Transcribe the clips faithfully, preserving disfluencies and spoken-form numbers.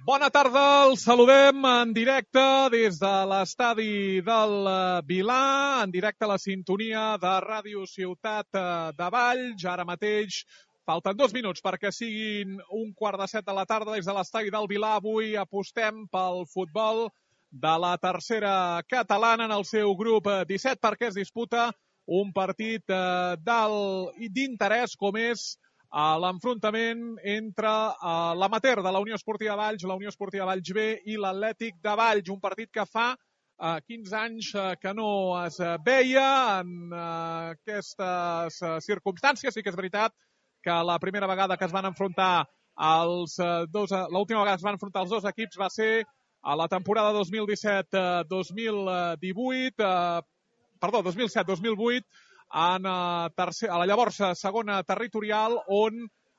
Bona tarda, els saludem en directe des de l'estadi del Vilà, en directe a la sintonia de Ràdio Ciutat de Valls. Ara mateix falten dos minuts perquè siguin un quart de set de la tarda des de l'estadi del Vilà. Avui apostem pel futbol de la tercera catalana en el seu grup disset perquè es disputa un partit d'interès com és a l'enfrontament entre uh, l'amateur de la Unió Esportiva Valls, la Unió Esportiva Valls B i l'Atlètic de Valls, un partit que fa uh, quinze anys uh, que no es uh, veia en uh, aquestes uh, circumstàncies. Sí que és veritat que la primera vegada que es van enfrontar els uh, dos, uh, l'última vegada que es van enfrontar els dos equips va ser a la temporada dos mil disset dos mil divuit, uh, perdó, dos mil set dos mil vuit, en a, tercer, a la llavors segona territorial, on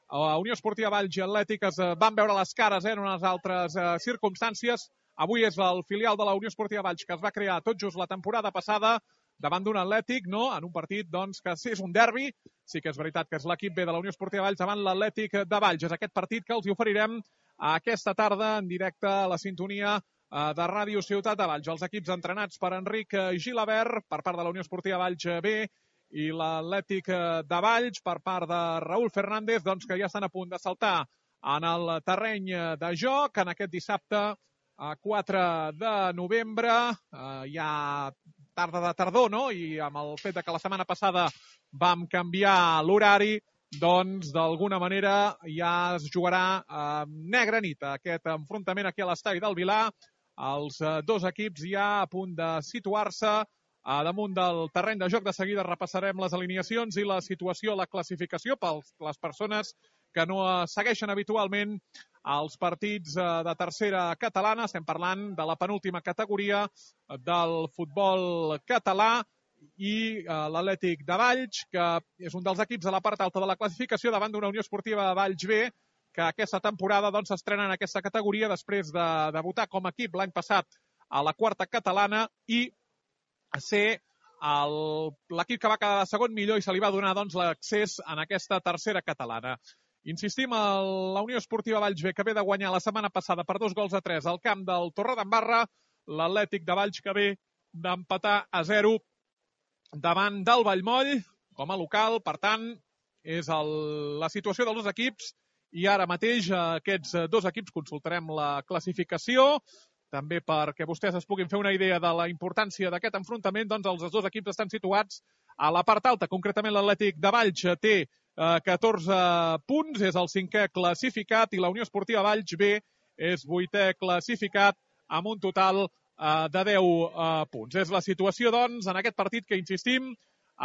a Unió Esportiva Valls i Atlètic es van veure les cares eh, en unes altres eh, circumstàncies. Avui és el filial de la Unió Esportiva Valls que es va crear tot just la temporada passada davant d'un Atlètic, no? En un partit doncs, que és un derbi. Sí que és veritat que és l'equip B de la Unió Esportiva Valls davant l'Atlètic de Valls. És aquest partit que els hi oferirem aquesta tarda en directe a la sintonia de Ràdio Ciutat de Valls. Els equips entrenats per Enric Gilabert per part de la Unió Esportiva Valls B i l'Atlètic de Valls per part de Raúl Fernández, doncs, que ja estan a punt de saltar en el terreny de joc en aquest dissabte quatre de novembre. Eh, ja tarda de tardor, no? I amb el fet de que la setmana passada vam canviar l'horari, doncs d'alguna manera ja es jugarà eh, negra nit aquest enfrontament aquí a l'estadi del Vilà. Els eh, dos equips ja a punt de situar-se a damunt del terreny de joc. De seguida repassarem les alineacions i la situació, la classificació per les persones que no segueixen habitualment els partits de tercera catalana. Estem parlant de la penúltima categoria del futbol català i l'Atlètic de Valls, que és un dels equips a la part alta de la classificació davant d'una Unió Esportiva Valls B, que aquesta temporada doncs s'estrena en aquesta categoria després de debutar com a equip l'any passat a la quarta catalana i a ser l'equip que va quedar segon millor i se li va donar doncs, l'accés en aquesta tercera catalana. Insistim, la Unió Esportiva Valls B, que ve de guanyar la setmana passada per dos gols a tres al camp del Torredembarra, l'Atlètic de Valls, que ve d'empatar a zero davant del Vallmoll com a local. Per tant, és el, la situació dels dos equips i ara mateix aquests dos equips consultarem la classificació. També perquè vostès es puguin fer una idea de la importància d'aquest enfrontament, doncs els dos equips estan situats a la part alta. Concretament l'Atlètic de Valls té eh, catorze punts, és el cinquè classificat, i la Unió Esportiva Valls B és vuitè classificat amb un total eh, de deu eh, punts. És la situació, doncs, en aquest partit que, insistim,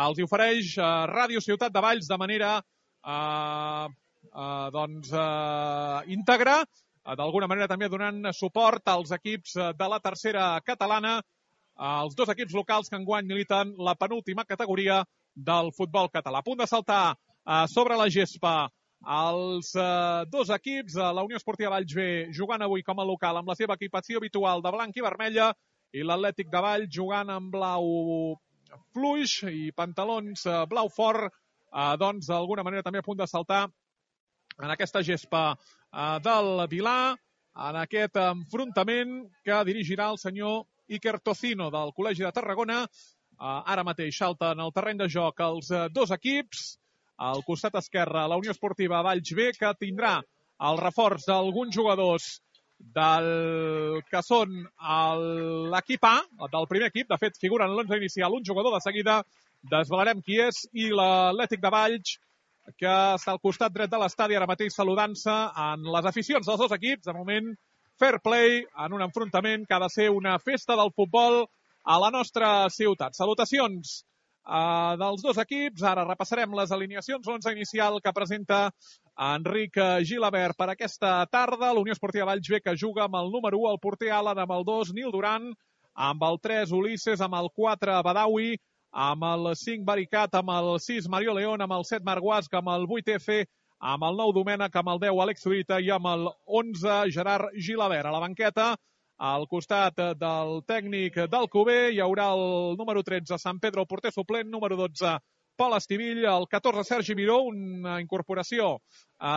els ofereix eh, Ràdio Ciutat de Valls de manera eh, eh, doncs, eh, íntegra, d'alguna manera també donant suport als equips de la tercera catalana, els dos equips locals que enguany militen la penúltima categoria del futbol català. A punt de saltar sobre la gespa els dos equips, la Unió Esportiva Valls B jugant avui com a local amb la seva equipació habitual de blanc i vermella i l'Atlètic de Valls jugant amb blau fluix i pantalons blau fort, doncs d'alguna manera també a punt de saltar en aquesta gespa del Vilà, en aquest enfrontament que dirigirà el senyor Iker Tocino del Col·legi de Tarragona. Ara mateix salten al terreny de joc els dos equips. Al costat esquerre, la Unió Esportiva Valls B, que tindrà el reforç d'alguns jugadors del que són l'equip A, del primer equip. De fet, figura en l'onze inicial un jugador, de seguida desvelarem qui és, i l'Atlètic de Valls, que està al costat dret de l'estadi ara mateix saludant-se en les aficions dels dos equips. De moment, fair play en un enfrontament que ha de ser una festa del futbol a la nostra ciutat. Salutacions eh, dels dos equips. Ara repassarem les alineacions. L'onze inicial que presenta Enric Gilabert per aquesta tarda. La Unió Esportiva Valls B, que juga amb el número u, el porter Alan, amb el dos, Nil Duran, amb el tres, Ulisses, amb el quatre, Badawi, amb el cinc Baricat, amb el sis Mario León, amb el set Marguasc, amb el vuit F, amb el nou Domènec, amb el deu Àlex Zurita i amb el onze Gerard Gilabert. A la banqueta, al costat del tècnic d'Alcover, hi haurà el número tretze Sant Pedro, el porter suplent, número dotze Pol Estivill, el catorze Sergi Miró, una incorporació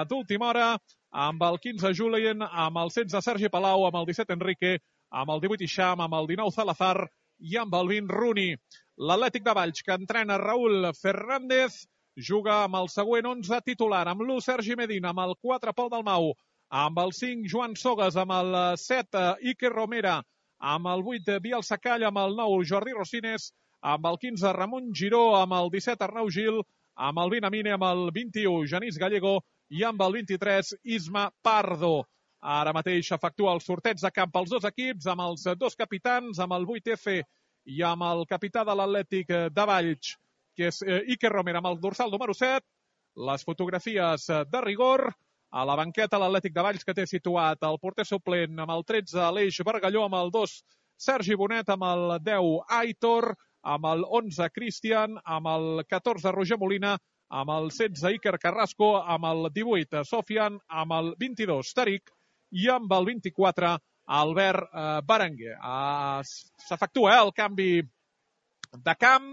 d'última hora, amb el quinze Julien, amb el setze Sergi Palau, amb el disset Enrique, amb el divuit Ixam, amb el dinou Salazar i amb el vint Rooney. L'Atlètic de Valls, que entrena Raúl Fernández, juga amb el següent onze titular, amb l'u Sergi Medina, amb el quatre Pol Dalmau, amb el cinc Joan Sogas, amb el set Iker Romera, amb el vuit Biel Sacall, amb el nou Jordi Rosines, amb el quinze Ramon Giró, amb el disset Arnau Gil, amb el vint Amine, amb el vint-i-u Genís Gallego i amb el vint-i-tres Isma Pardo. Ara mateix efectua el sorteig de camp pels dos equips, amb els dos capitans, amb el vuit F i amb el capità de l'Atlètic de Valls, que és Iker Romera, amb el dorsal número set. Les fotografies de rigor. A la banqueta l'Atlètic de Valls, que té situat el porter suplent amb el tretze Aleix Bargalló, amb el dos Sergi Bonet, amb el deu Aitor, amb el onze Cristian, amb el catorze Roger Molina, amb el setze Iker Carrasco, amb el divuit Sofian, amb el vint-i-dos Tariq i amb el vint-i-quatre Albert eh, Berenguer. Eh, S'efectua eh, el canvi de camp.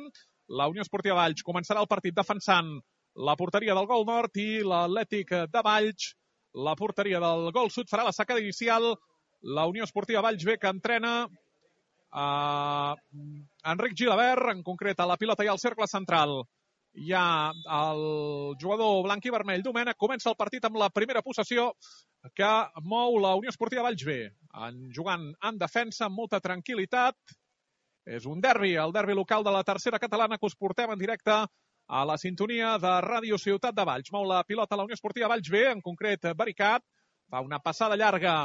La Unió Esportiva Valls començarà el partit defensant la porteria del gol nord i l'Atlètic de Valls, la porteria del gol sud, farà la sacada inicial. La Unió Esportiva Valls B, que entrena Uh, Enric Gilabert, en concret a la pilota i al cercle central hi ha el jugador blanc i vermell Domènech. Comença el partit amb la primera possessió que mou la Unió Esportiva Valls B, en jugant en defensa amb molta tranquil·litat. És un derbi, el derbi local de la tercera catalana, que us portem en directe a la sintonia de Ràdio Ciutat de Valls. Mou la pilota la Unió Esportiva Valls B, en concret Baricat, fa una passada llarga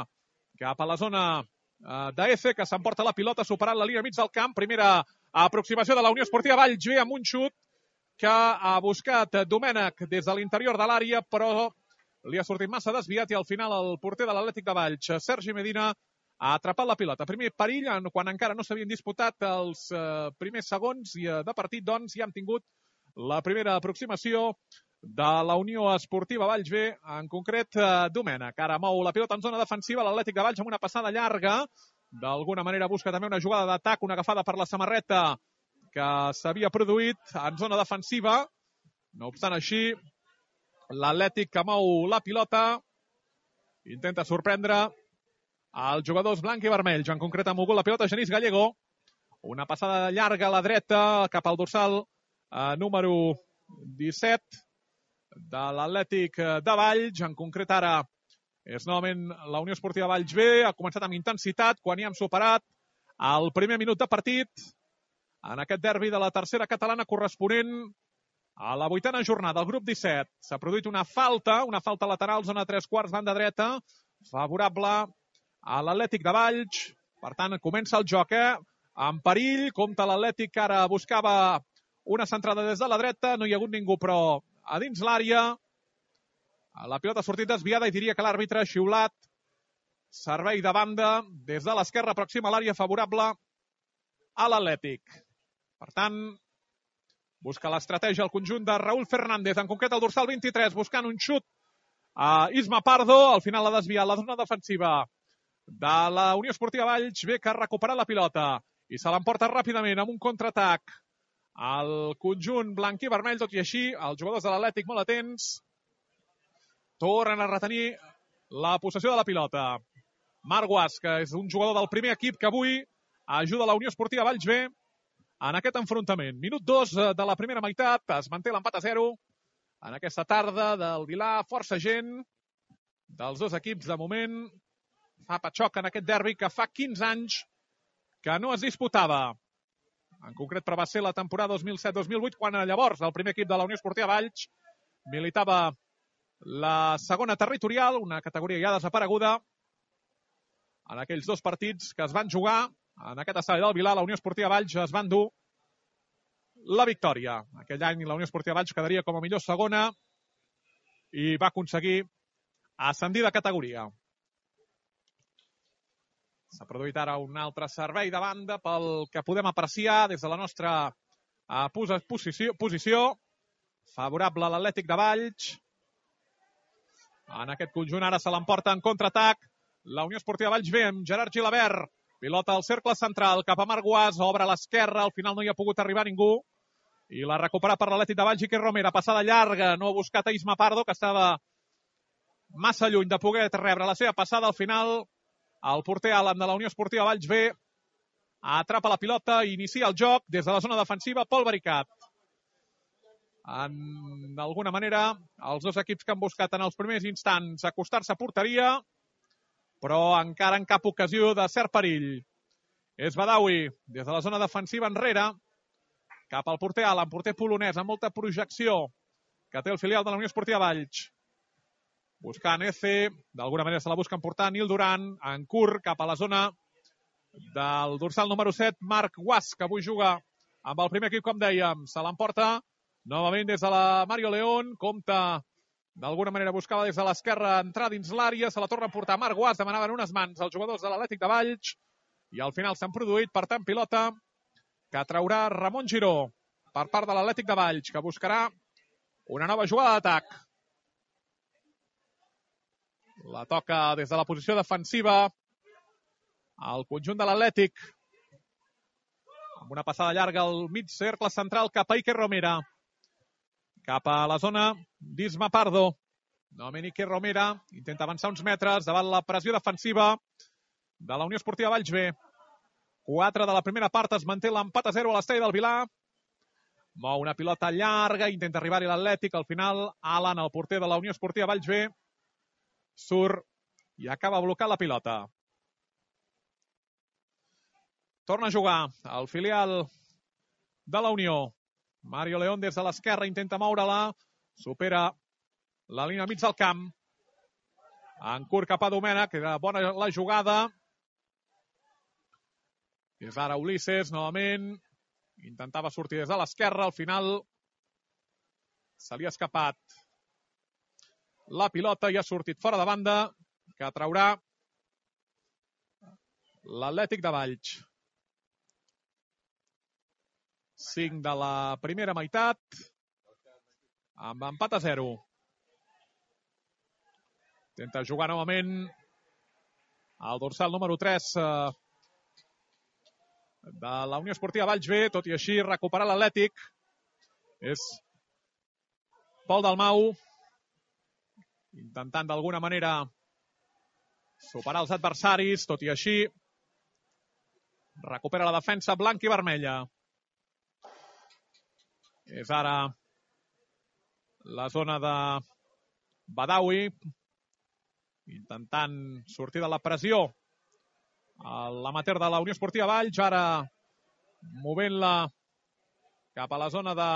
cap a la zona de F, que s'emporta la pilota superant la línia mig del camp. Primera aproximació de la Unió Esportiva Valls B amb un xut que ha buscat Domènech des de l'interior de l'àrea, però li ha sortit massa desviat i al final el porter de l'Atlètic de Valls, Sergi Medina, ha atrapat la pilota. Primer perill, quan encara no s'havien disputat els primers segons de partit, doncs ja hem tingut la primera aproximació de la Unió Esportiva Valls B, en concret Domènech. Ara mou la pilota en zona defensiva l'Atlètic de Valls amb una passada llarga. D'alguna manera busca també una jugada d'atac, una agafada per la samarreta que s'havia produït en zona defensiva. No obstant així, l'Atlètic que mou la pilota intenta sorprendre els jugadors blanc i vermells. En concret ha mogut la pilota Genís Gallego. Una passada llarga a la dreta cap al dorsal eh, número disset de l'Atlètic de Valls. En concret ara és novament la Unió Esportiva Valls B. Ha començat amb intensitat quan hi hem superat el primer minut de partit en aquest derbi de la tercera catalana corresponent a la vuitena jornada. El grup disset s'ha produït una falta, una falta lateral, zona tres quarts, banda dreta, favorable a l'Atlètic de Valls. Per tant, comença el joc, eh? En perill, compta l'Atlètic, que ara buscava una centrada des de la dreta, no hi ha hagut ningú, però a dins l'àrea la pilota ha sortit desviada i diria que l'àrbitre ha xiulat servei de banda des de l'esquerra, pròxima a l'àrea, favorable a l'Atlètic. Per tant, busca l'estratègia el conjunt de Raúl Fernández, en concret el dorsal vint-i-tres, buscant un xut a Isma Pardo. Al final ha desviat la zona defensiva de la Unió Esportiva Valls B, que ha recuperat la pilota i se l'emporta ràpidament amb un contraatac el conjunt blanc i vermell. Tot i així, els jugadors de l'Atlètic, molt atents, tornen a retenir la possessió de la pilota. Marc Guas, que és un jugador del primer equip que avui ajuda la Unió Esportiva Valls B en aquest enfrontament. Minut dos de la primera meitat, es manté l'empat a zero en aquesta tarda del Vilà. Força gent dels dos equips de moment fa patxoc en aquest derbi que fa quinze anys que no es disputava. En concret, però va ser la temporada dos mil set dos mil vuit, quan llavors el primer equip de la Unió Esportiva Valls militava la segona territorial, una categoria ja desapareguda. En aquells dos partits que es van jugar en aquest estadi del Vilà, la Unió Esportiva Valls es van dur la victòria. Aquell any la Unió Esportiva Valls quedaria com a millor segona i va aconseguir ascendir de categoria. S'ha produït ara un altre servei de banda pel que podem apreciar des de la nostra uh, posició, posició favorable a l'Atlètic de Valls. En aquest conjunt ara se l'emporta en contraatac la Unió Esportiva Valls B amb Gerard Gilabert. Pilota al cercle central cap a Marc Guas, obre a l'esquerra, al final no hi ha pogut arribar ningú i la recupera per l'Atlètic de Valls. Iker Romera, passada llarga, no ha buscat a Isma Pardo, que estava massa lluny de poder rebre la seva passada. Al final, el porter Alan de la Unió Esportiva Valls B atrapa la pilota i inicia el joc des de la zona defensiva. Pol Vericat. En d'alguna manera, els dos equips que han buscat en els primers instants acostar-se a porteria, però encara en cap ocasió de cert perill. És Badawi, des de la zona defensiva enrere, cap al porter Alan, porter polonès, amb molta projecció, que té el filial de la Unió Esportiva Valls. Buscant Eze, d'alguna manera se la busquen portar Nil Duran, en curt, cap a la zona del dorsal número set, Marc Guas, que avui juga amb el primer equip, com dèiem. Se l'emporta novament des de la Mario León, compta d'alguna manera buscava des de l'esquerra entrar dins l'àrea, se la torna a portar Marc Guas, demanaven unes mans als jugadors de l'Atlètic de Valls, i al final s'han produït, per tant, pilota que traurà Ramon Giró per part de l'Atlètic de Valls, que buscarà una nova jugada d'atac. La toca des de la posició defensiva el conjunt de l'Atlètic, amb una passada llarga al mig cercle central cap a Iker Romera, cap a la zona d'Isma Pardo. Novament Iker Romera intenta avançar uns metres davant la pressió defensiva de la Unió Esportiva Valls B. quatre de la primera part, es manté l'empat a zero a l'estadi del Vilar. Mou una pilota llarga, intenta arribar-hi l'Atlètic. Al final, Alan, el porter de la Unió Esportiva Valls B, surt i acaba blocant la pilota. Torna a jugar el filial de la Unió. Mario León des de l'esquerra intenta moure-la, supera la línia mig del camp. En curt cap a Domènech, era bona la jugada. És ara Ulisses, novament. Intentava sortir des de l'esquerra, al final se li ha escapat la pilota i ha sortit fora de banda, que traurà l'Atlètic de Valls. cinc de la primera meitat, amb empat a zero. Intenta jugar novament el dorsal número tres eh, de la Unió Esportiva Valls B, tot i així recuperar l'Atlètic. És Pol Dalmau, intentant d'alguna manera superar els adversaris, tot i així recupera la defensa blanca i vermella. És ara la zona de Badawi, intentant sortir de la pressió. L'amateur de la Unió Esportiva Valls, ara movent-la cap a la zona de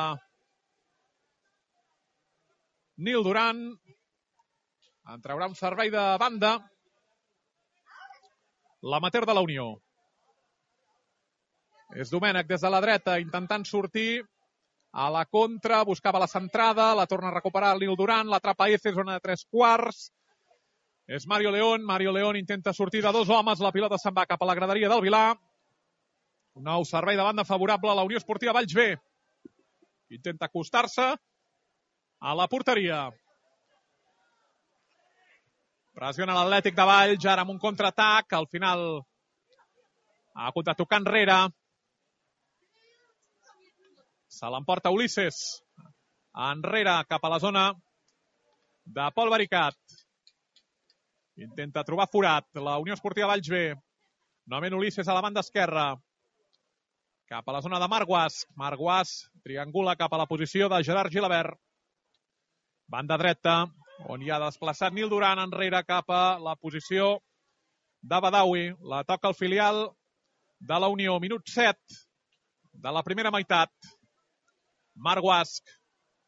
Nil Duran. En traurà un servei de banda l'amateur de la Unió. És Domènech des de la dreta, intentant sortir a la contra, buscava la centrada, la torna a recuperar el Nil Duran, l'atrapa Eze, zona de tres quarts. És Mario León, Mario León intenta sortir de dos homes, la pilota se'n va cap a la graderia del Vilar. Un nou servei de banda favorable a la Unió Esportiva Valls B. Intenta acostar-se a la porteria. Pressiona l'Atlètic de Valls, ara amb un contraatac, al final ha hagut de tocar enrere. Se l'emporta Ulisses enrere cap a la zona de Pol Vericat. Intenta trobar forat la Unió Esportiva Valls B. Novament Ulisses a la banda esquerra. Cap a la zona de Marc Guas. Marc Guas triangula cap a la posició de Gerard Gilabert. Banda dreta, on hi ha desplaçat Nil Duran enrere cap a la posició de Badawi. La toca el filial de la Unió. Minut set de la primera meitat. Marc Guas.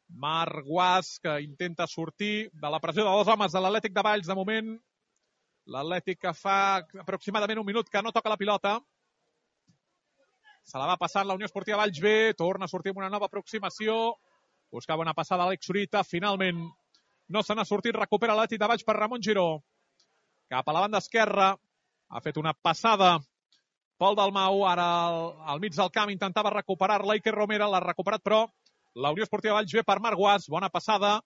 Marc Guas, que intenta sortir de la pressió de dos homes de l'Atlètic de Valls. De moment, l'Atlètic que fa aproximadament un minut que no toca la pilota. Se la va passant la Unió Esportiva Valls B. Torna a sortir amb una nova aproximació. Buscava una passada a Àlex Zurita. Finalment no se n'ha sortit. Recupera l'Atlètic de Valls per Ramon Giró. Cap a la banda esquerra. Ha fet una passada Pol Dalmau. Ara al, al mig del camp intentava recuperar-la. Iker Romera l'ha recuperat, però la Unió Esportiva Valls B per Marc Guas. Bona passada.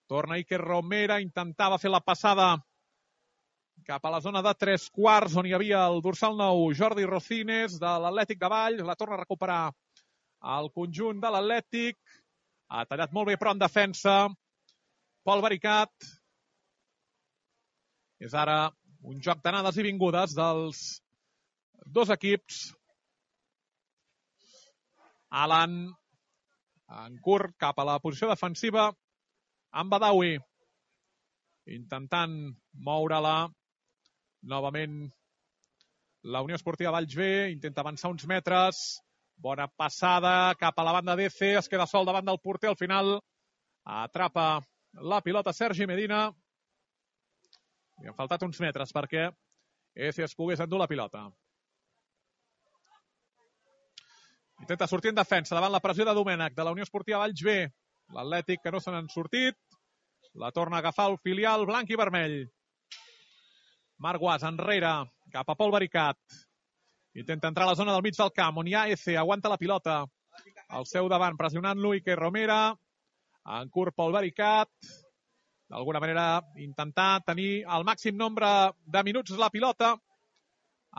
Torna Iker Romera. Intentava fer la passada cap a la zona de tres quarts, on hi havia el dorsal nou Jordi Rocines de l'Atlètic de Valls. La torna a recuperar el conjunt de l'Atlètic. Ha tallat molt bé, però en defensa Pol Vericat. És ara un joc d'anades i vingudes dels dos equips. Alan en curt cap a la posició defensiva amb Badawi intentant moure-la novament. La Unió Esportiva Valls B intenta avançar uns metres, bona passada cap a la banda d'E C, es queda sol davant del porter, al final atrapa la pilota Sergi Medina. Li han faltat uns metres perquè E C es pogués endur la pilota. Intenta sortir en defensa davant la pressió de Domènech de la Unió Esportiva Valls B. L'Atlètic que no se n'han sortit. La torna a agafar el filial blanc i vermell. Marc Guas enrere cap a Pol Baricat. Intenta entrar a la zona del mig del camp on hi ha E C. Aguanta la pilota al seu davant pressionant-lo Iker Romera. En curt Pol Baricat. D'alguna manera intentar tenir el màxim nombre de minuts la pilota.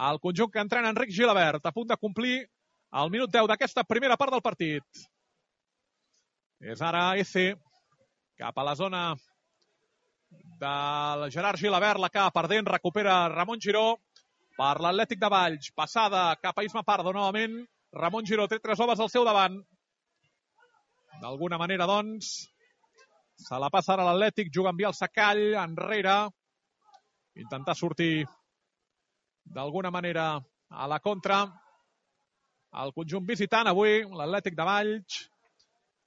El conjunt que entrena Enric Gilabert a punt de complir el minut deu d'aquesta primera part del partit. És ara E C cap a la zona del Gerard Gilabert, la acaba perdent, recupera Ramon Giró per l'Atlètic de Valls. Passada cap a Isma Pardo novament. Ramon Giró té tres homes al seu davant. D'alguna manera, doncs, se la passa ara l'Atlètic, juga amb Biel Sacall, enrere. Intentar sortir d'alguna manera a la contra. El conjunt visitant avui, l'Atlètic de Valls.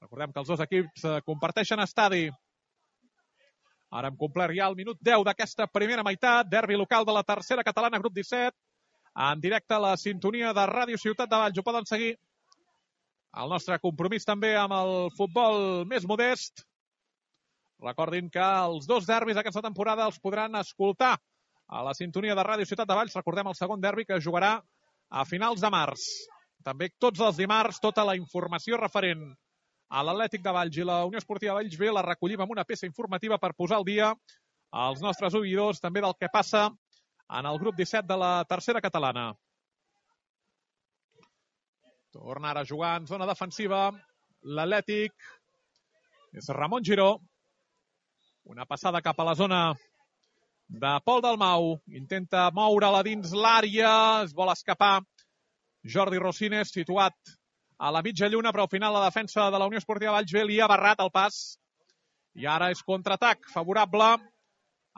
Recordem que els dos equips comparteixen estadi. Ara hem complert ja el minut deu d'aquesta primera meitat. Derbi local de la tercera catalana, grup disset. En directe a la sintonia de Ràdio Ciutat de Valls. Ho poden seguir. El nostre compromís també amb el futbol més modest. Recordin que els dos derbis d'aquesta temporada els podran escoltar a la sintonia de Ràdio Ciutat de Valls. Recordem el segon derbi que jugarà a finals de març. També tots els dimarts, tota la informació referent a l'Atlètic de Valls i la Unió Esportiva Valls B la recollim amb una peça informativa per posar al dia als nostres oïdors també del que passa en el grup disset de la tercera catalana. Torna ara a jugar en zona defensiva l'Atlètic. És Ramon Giró. Una passada cap a la zona de Pol Dalmau. Intenta moure-la dins l'àrea. Es vol escapar Jordi Rosines, situat a la mitja lluna, però al final la defensa de la Unió Esportiva Valls B li ha barrat el pas. I ara és contraatac favorable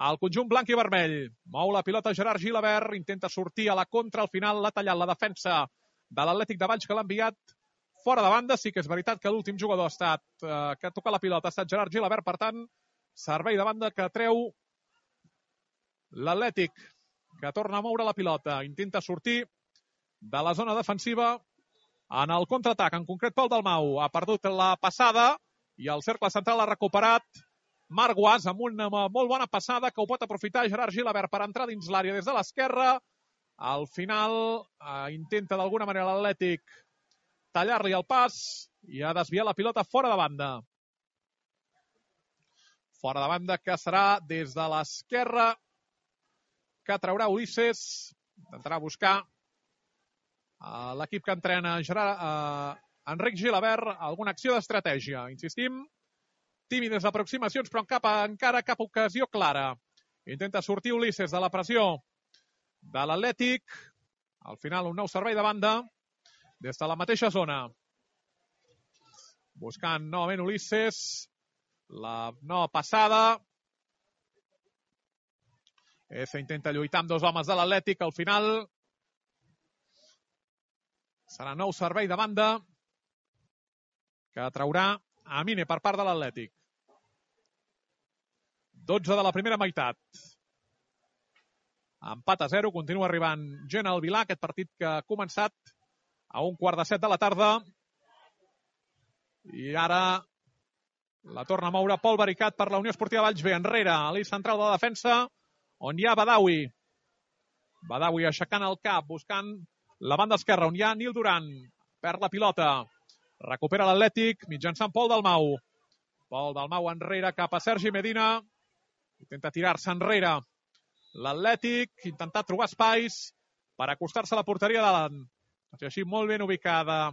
al conjunt blanc i vermell. Mou la pilota Gerard Gilabert, intenta sortir a la contra, al final l'ha tallat la defensa de l'Atlètic de Valls que l'ha enviat fora de banda. Sí que és veritat que l'últim jugador ha estat, eh, que ha tocat la pilota ha estat Gerard Gilabert, per tant, servei de banda que treu l'Atlètic, que torna a moure la pilota, intenta sortir de la zona defensiva en el contraatac, en concret Pol Dalmau. Ha perdut la passada i el cercle central ha recuperat Marc Guas amb una molt bona passada que ho pot aprofitar Gerard Gilabert per entrar dins l'àrea des de l'esquerra. Al final eh, intenta d'alguna manera l'Atlètic tallar-li el pas i ha desviat la pilota fora de banda. Fora de banda que serà des de l'esquerra que traurà Ulisses. Intentarà buscar Uh, l'equip que entrena Gerard, uh, Enric Gilabert, alguna acció d'estratègia. Insistim, tímides aproximacions, però en cap, encara cap ocasió clara. Intenta sortir Ulisses de la pressió de l'Atlètic. Al final, un nou servei de banda des de la mateixa zona. Buscant novament Ulisses. La nova passada. Eza intenta lluitar amb dos homes de l'Atlètic. Al final serà nou servei de banda que traurà Amine per part de l'Atlètic. dotze de la primera meitat. Empat a zero, continua arribant gent al Vilà, aquest partit que ha començat a un quart de set de la tarda. I ara la torna a moure Pol Baricat per la Unió Esportiva Valls B. Enrere, a l'eix central de la defensa, on hi ha Badawi. Badawi aixecant el cap, buscant la banda esquerra, on hi ha Nil Duran. Perd la pilota. Recupera l'Atlètic mitjançant Pol Dalmau. Pol Dalmau enrere cap a Sergi Medina. Intenta tirar-se enrere l'Atlètic, intentar trobar espais per acostar-se a la porteria davant. Així molt ben ubicada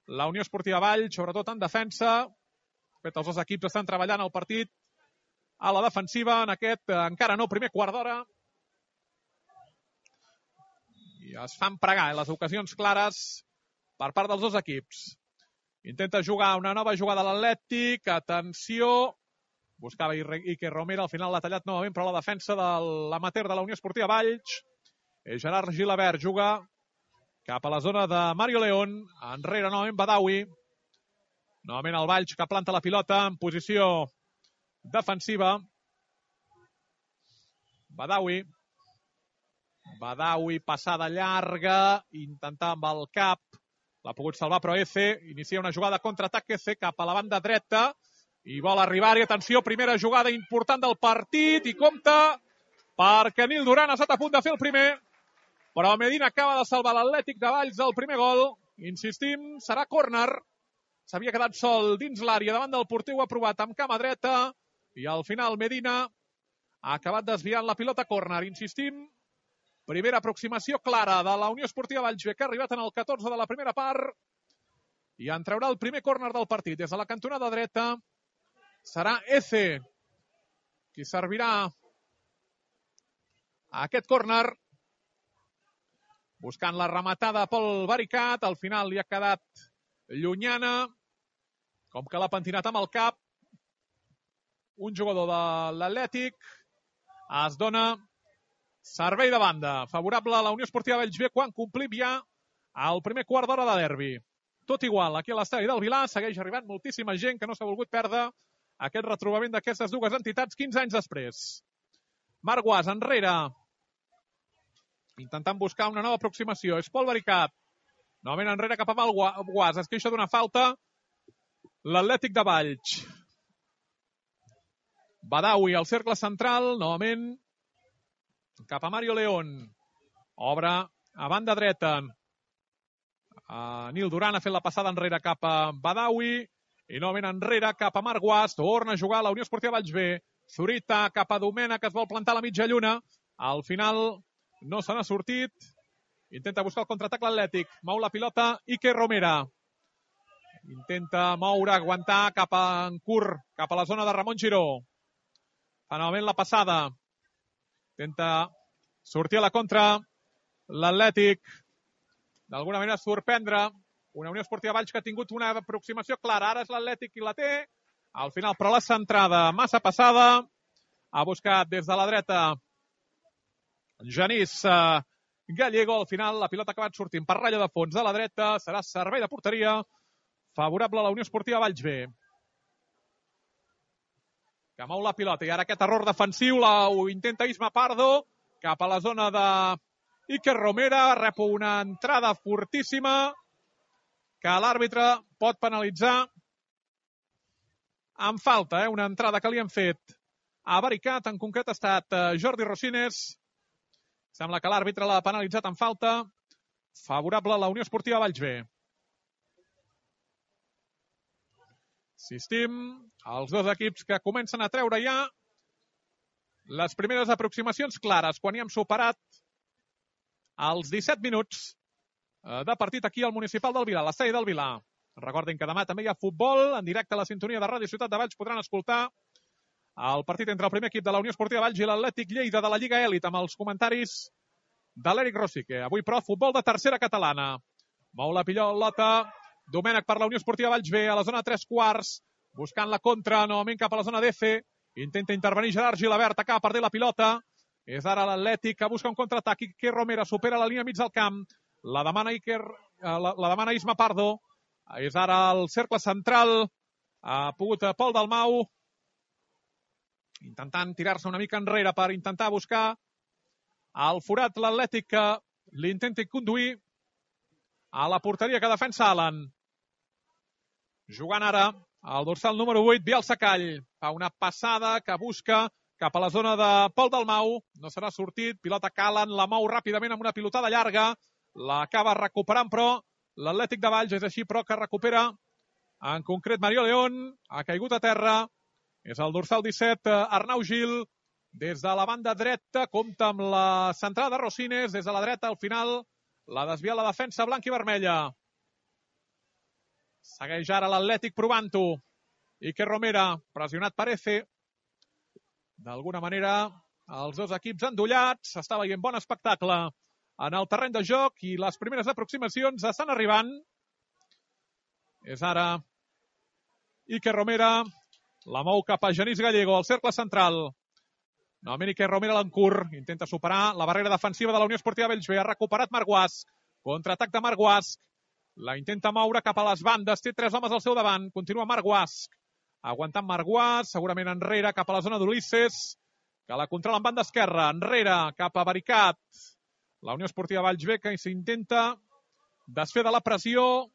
la Unió Esportiva Valls, sobretot en defensa. De fet, els dos equips estan treballant el partit a la defensiva en aquest, encara no, primer quart d'hora es fan pregar les ocasions clares per part dels dos equips. Intenta jugar una nova jugada a l'Atlètic. Atenció. Buscava Iker Romera. Al final l'ha tallat novament, però la defensa de l'amateur de la Unió Esportiva Valls. Gerard Gilabert juga cap a la zona de Mario León. Enrere novament Badawi. Novament el Valls que planta la pilota en posició defensiva. Badawi. Badawi, passada llarga. Intentar amb el cap. L'ha pogut salvar, però Eze inicia una jugada contraatac. Eze cap a la banda dreta i vol arribar-hi. Atenció, primera jugada important del partit i compta perquè Nil Duran ha estat a punt de fer el primer, però Medina acaba de salvar l'Atlètic de Valls del primer gol. Insistim, serà córner. S'havia quedat sol dins l'àrea davant del porter, ho ha provat amb cama dreta i al final Medina ha acabat desviant la pilota córner. Insistim, primera aproximació clara de la Unió Esportiva Valls B, que ha arribat en el catorze de la primera part i en traurà el primer córner del partit. Des de la cantonada dreta serà Eze qui servirà a aquest córner. Buscant la rematada pel Baricat, al final li ha quedat llunyana, com que l'ha pentinat amb el cap. Un jugador de l'Atlètic. Es dona servei de banda, favorable a la Unió Esportiva Valls B quan complim ja el primer quart d'hora de derbi. Tot igual, aquí a l'estadi del Vilar segueix arribant moltíssima gent que no s'ha volgut perdre aquest retrobament d'aquestes dues entitats quinze anys després. Marc Guas enrere, intentant buscar una nova aproximació. És Pol Baricat. Novament enrere cap a Guas. Es queixa d'una falta l'Atlètic de Valls. Badawi al cercle central, novament cap a Mario León. Obre a banda dreta. Uh, Nil Duran ha fet la passada enrere cap a Badawi. I novament enrere cap a Marc Guas. Torna a jugar la Unió Esportiva Valls B. Zurita cap a Domènech, que es vol plantar a la mitja lluna. Al final no se n'ha sortit. Intenta buscar el contraatac l'Atlètic. Mou la pilota Iker Romera. Intenta moure, aguantar cap a en curt, cap a la zona de Ramon Giró. Fa novament la passada. Intenta sortir a la contra l'Atlètic. D'alguna manera sorprendre una Unió Esportiva Valls que ha tingut una aproximació clara. Ara és l'Atlètic qui la té. Al final, però la centrada massa passada. Ha buscat des de la dreta Genís uh, Gallego. Al final la pilota ha acabat sortint per ratlla de fons de la dreta. Serà servei de porteria favorable a la Unió Esportiva Valls B. Que mou la pilota. I ara aquest error defensiu la, ho intenta Isma Pardo cap a la zona de Iker Romera. Rep una entrada fortíssima que l'àrbitre pot penalitzar amb falta. Eh? Una entrada que li han fet a Baricat. En concret ha estat uh, Jordi Rosines. Sembla que l'àrbitre l'ha penalitzat amb falta favorable a la Unió Esportiva Valls B. Insistim, els dos equips que comencen a treure ja les primeres aproximacions clares quan hi hem superat els disset minuts de partit aquí al Municipal del Vilar, a l'estadi del Vilar. Recordin que demà també hi ha futbol en directe a la sintonia de Ràdio Ciutat de Valls. Podran escoltar el partit entre el primer equip de la Unió Esportiva Valls i l'Atlètic Lleida de la Lliga Elit amb els comentaris de l'Eric Rosique. Avui, però, futbol de tercera catalana. Mou la pilota Domènech per la Unió Esportiva Valls B a la zona tres quarts, buscant la contra, novament cap a la zona d'E C. Intenta intervenir Gerard Gilabert, acaba perdent la pilota. És ara l'Atlètic que busca un contraatac. Iker Romera supera la línia mig del camp. La demana Iker, la, la demana Isma Pardo. És ara el cercle central. Ha pogut Pol Dalmau intentant tirar-se una mica enrere per intentar buscar el forat l'Atlètic que l'intenti conduir a la porteria que defensa Alan. Jugant ara el dorsal número vuit, Biel Sacall. Fa una passada que busca cap a la zona de Pol Dalmau. No serà sortit. Pilota que Alan la mou ràpidament amb una pilotada llarga. L'acaba recuperant, però l'Atlètic de Valls és així, però que recupera en concret Mario León. Ha caigut a terra. És el dorsal disset, Arnau Gil. Des de la banda dreta, compta amb la centrada de Rosines. Des de la dreta, al final, la desvia la defensa blanca i vermella. Segueix ara l'Atlètic provant-ho. Iker Romera, pressionat per Eze. D'alguna manera, els dos equips endollats. S'està veient bon espectacle en el terreny de joc i les primeres aproximacions estan arribant. És ara Iker Romera, la mou cap a Genís Gallego, al cercle central. Novament Iker Romera l'encurt, intenta superar la barrera defensiva de la Unió Esportiva Bellvitge. Ha recuperat Marc Guasc, contraatac de Marc Guasc, la intenta moure cap a les bandes, té tres homes al seu davant, continua Marc Guasc, aguantant Marc Guasc, segurament enrere cap a la zona d'Ulisses, que la controla en banda esquerra, enrere cap a Baricat. La Unió Esportiva Bellvitge que s'intenta desfer de la pressió,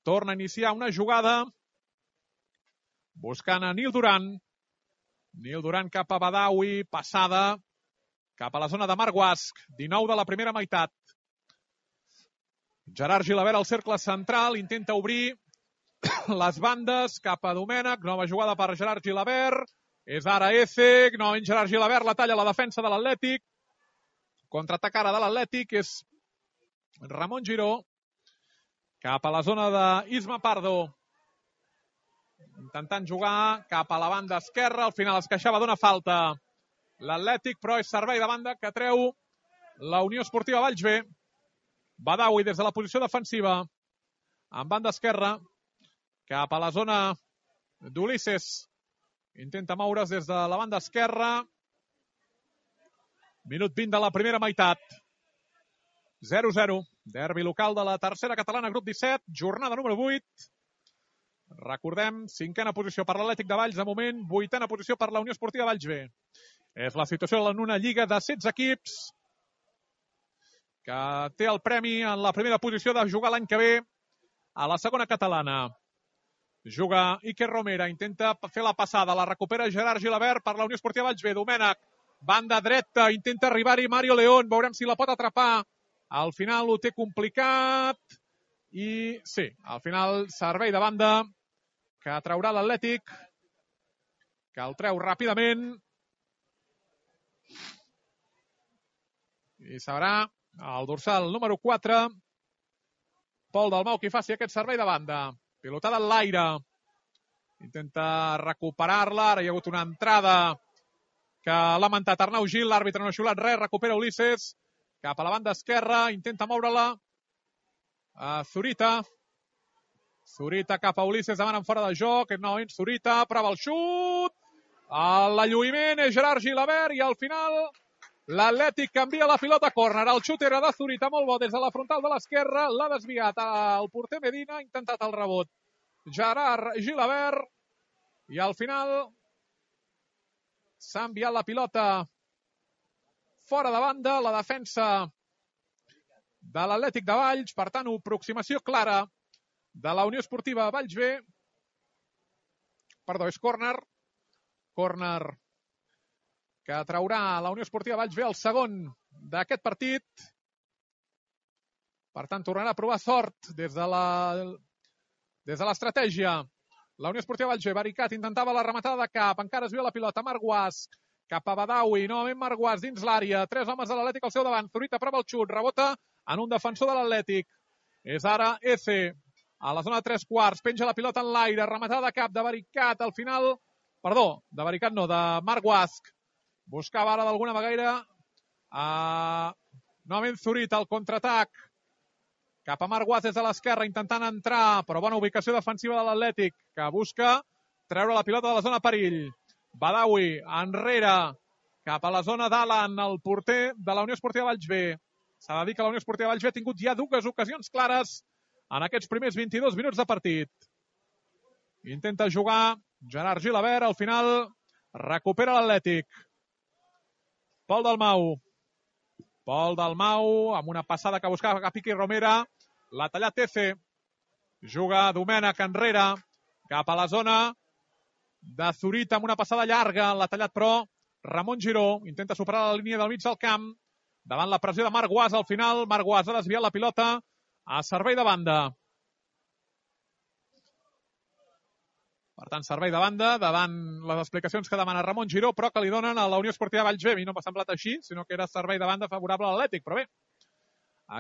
torna a iniciar una jugada, buscant a Nil Duran. Nil Duran cap a Badawi, passada cap a la zona de Marc Guasc, dinou de la primera meitat. Gerard Gilabert al cercle central, intenta obrir les bandes cap a Domènech, nova jugada per Gerard Gilabert, és ara Eze, novament Gerard Gilabert, la talla a la defensa de l'Atlètic, contraatac ara de l'Atlètic, és Ramon Giró, cap a la zona d'Isma Pardo, intentant jugar cap a la banda esquerra, al final es queixava d'una falta l'Atlètic, però és servei de banda que treu la Unió Esportiva Bellvitge. Badawi des de la posició defensiva, en banda esquerra, cap a la zona d'Ulisses. Intenta moure's des de la banda esquerra. Minut vint de la primera meitat. zero zero. Derbi local de la tercera catalana, grup disset, jornada número vuit. Recordem, cinquena posició per l'Atlètic de Valls, de moment, vuitena posició per la Unió Esportiva Bellvitge. És la situació en una lliga de setze equips que té el premi en la primera posició de jugar l'any que ve a la segona catalana. Juga Iker Romera, intenta fer la passada, la recupera Gerard Gilabert per la Unió Esportiva Bellvitge. Domènech, banda dreta, intenta arribar-hi Mario León, veurem si la pot atrapar. Al final ho té complicat i sí, al final servei de banda que traurà l'Atlètic, que el treu ràpidament i serà el dorsal número quatre, Pol Dalmau, qui faci aquest servei de banda. Pilotada en l'aire. Intenta recuperar-la. Ara hi ha hagut una entrada que ha lamentat Arnau Gil. L'àrbitre no ha xiulat res. Recupera Ulisses cap a la banda esquerra. Intenta moure-la a Zurita. Zurita cap a Ulisses. Demanen fora de joc. Novament Zurita. Prova el xut. L'alluïment és Gerard Gilabert i al final l'Atlètic canvia la pilota a córner. El xut era de Zurita, molt bo des de la frontal de l'esquerra. L'ha desviat el porter Medina, ha intentat el rebot Gerard Gilabert i al final s'ha enviat la pilota fora de banda, la defensa de l'Atlètic de Valls. Per tant, aproximació clara de la Unió Esportiva Bellvitge. Perdó, és córner. Córner que traurà la Unió Esportiva Bellvitge el segon d'aquest partit. Per tant, tornarà a provar sort des de la des de l'estratègia. La Unió Esportiva Bellvitge, Baricat, intentava la rematada de cap, encara es veu la pilota, Marc Guasc, cap a Badawi, novament Marc Guasc dins l'àrea, tres homes de l'Atlètic al seu davant, Zurita prova el xut, rebota en un defensor de l'Atlètic. És ara Eze, a la zona de tres quarts, penja la pilota en l'aire, rematada de cap de Baricat, al final, perdó, de Baricat no, de Marc Guasc. Buscava ara d'alguna manera uh, novament Zurita, el contraatac cap a Marc Guasc des de l'esquerra, intentant entrar, però bona ubicació defensiva de l'Atlètic, que busca treure la pilota de la zona perill. Badawi, enrere, cap a la zona d'Alan, el porter de la Unió Esportiva Bellvitge. S'ha de dir que la Unió Esportiva Bellvitge ha tingut ja dues ocasions clares en aquests primers vint-i-dos minuts de partit. Intenta jugar Gerard Gilabert, al final recupera l'Atlètic. Pol Dalmau. Pol Dalmau, amb una passada que buscava cap Iker Romera. L'ha tallat Eze. Juga Domènech enrere, cap a la zona de Zurita, amb una passada llarga. L'ha tallat, però, Ramon Giró. Intenta superar la línia del mig del camp. Davant la pressió de Marc Guasc, al final. Marc Guasc ha desviat la pilota a servei de banda. Per tant, servei de banda, davant les explicacions que demana Ramon Giró, però que li donen a la Unió Esportiva Bellvitge. A mi no m'ha semblat així, sinó que era servei de banda favorable a l'Atlètic, però bé,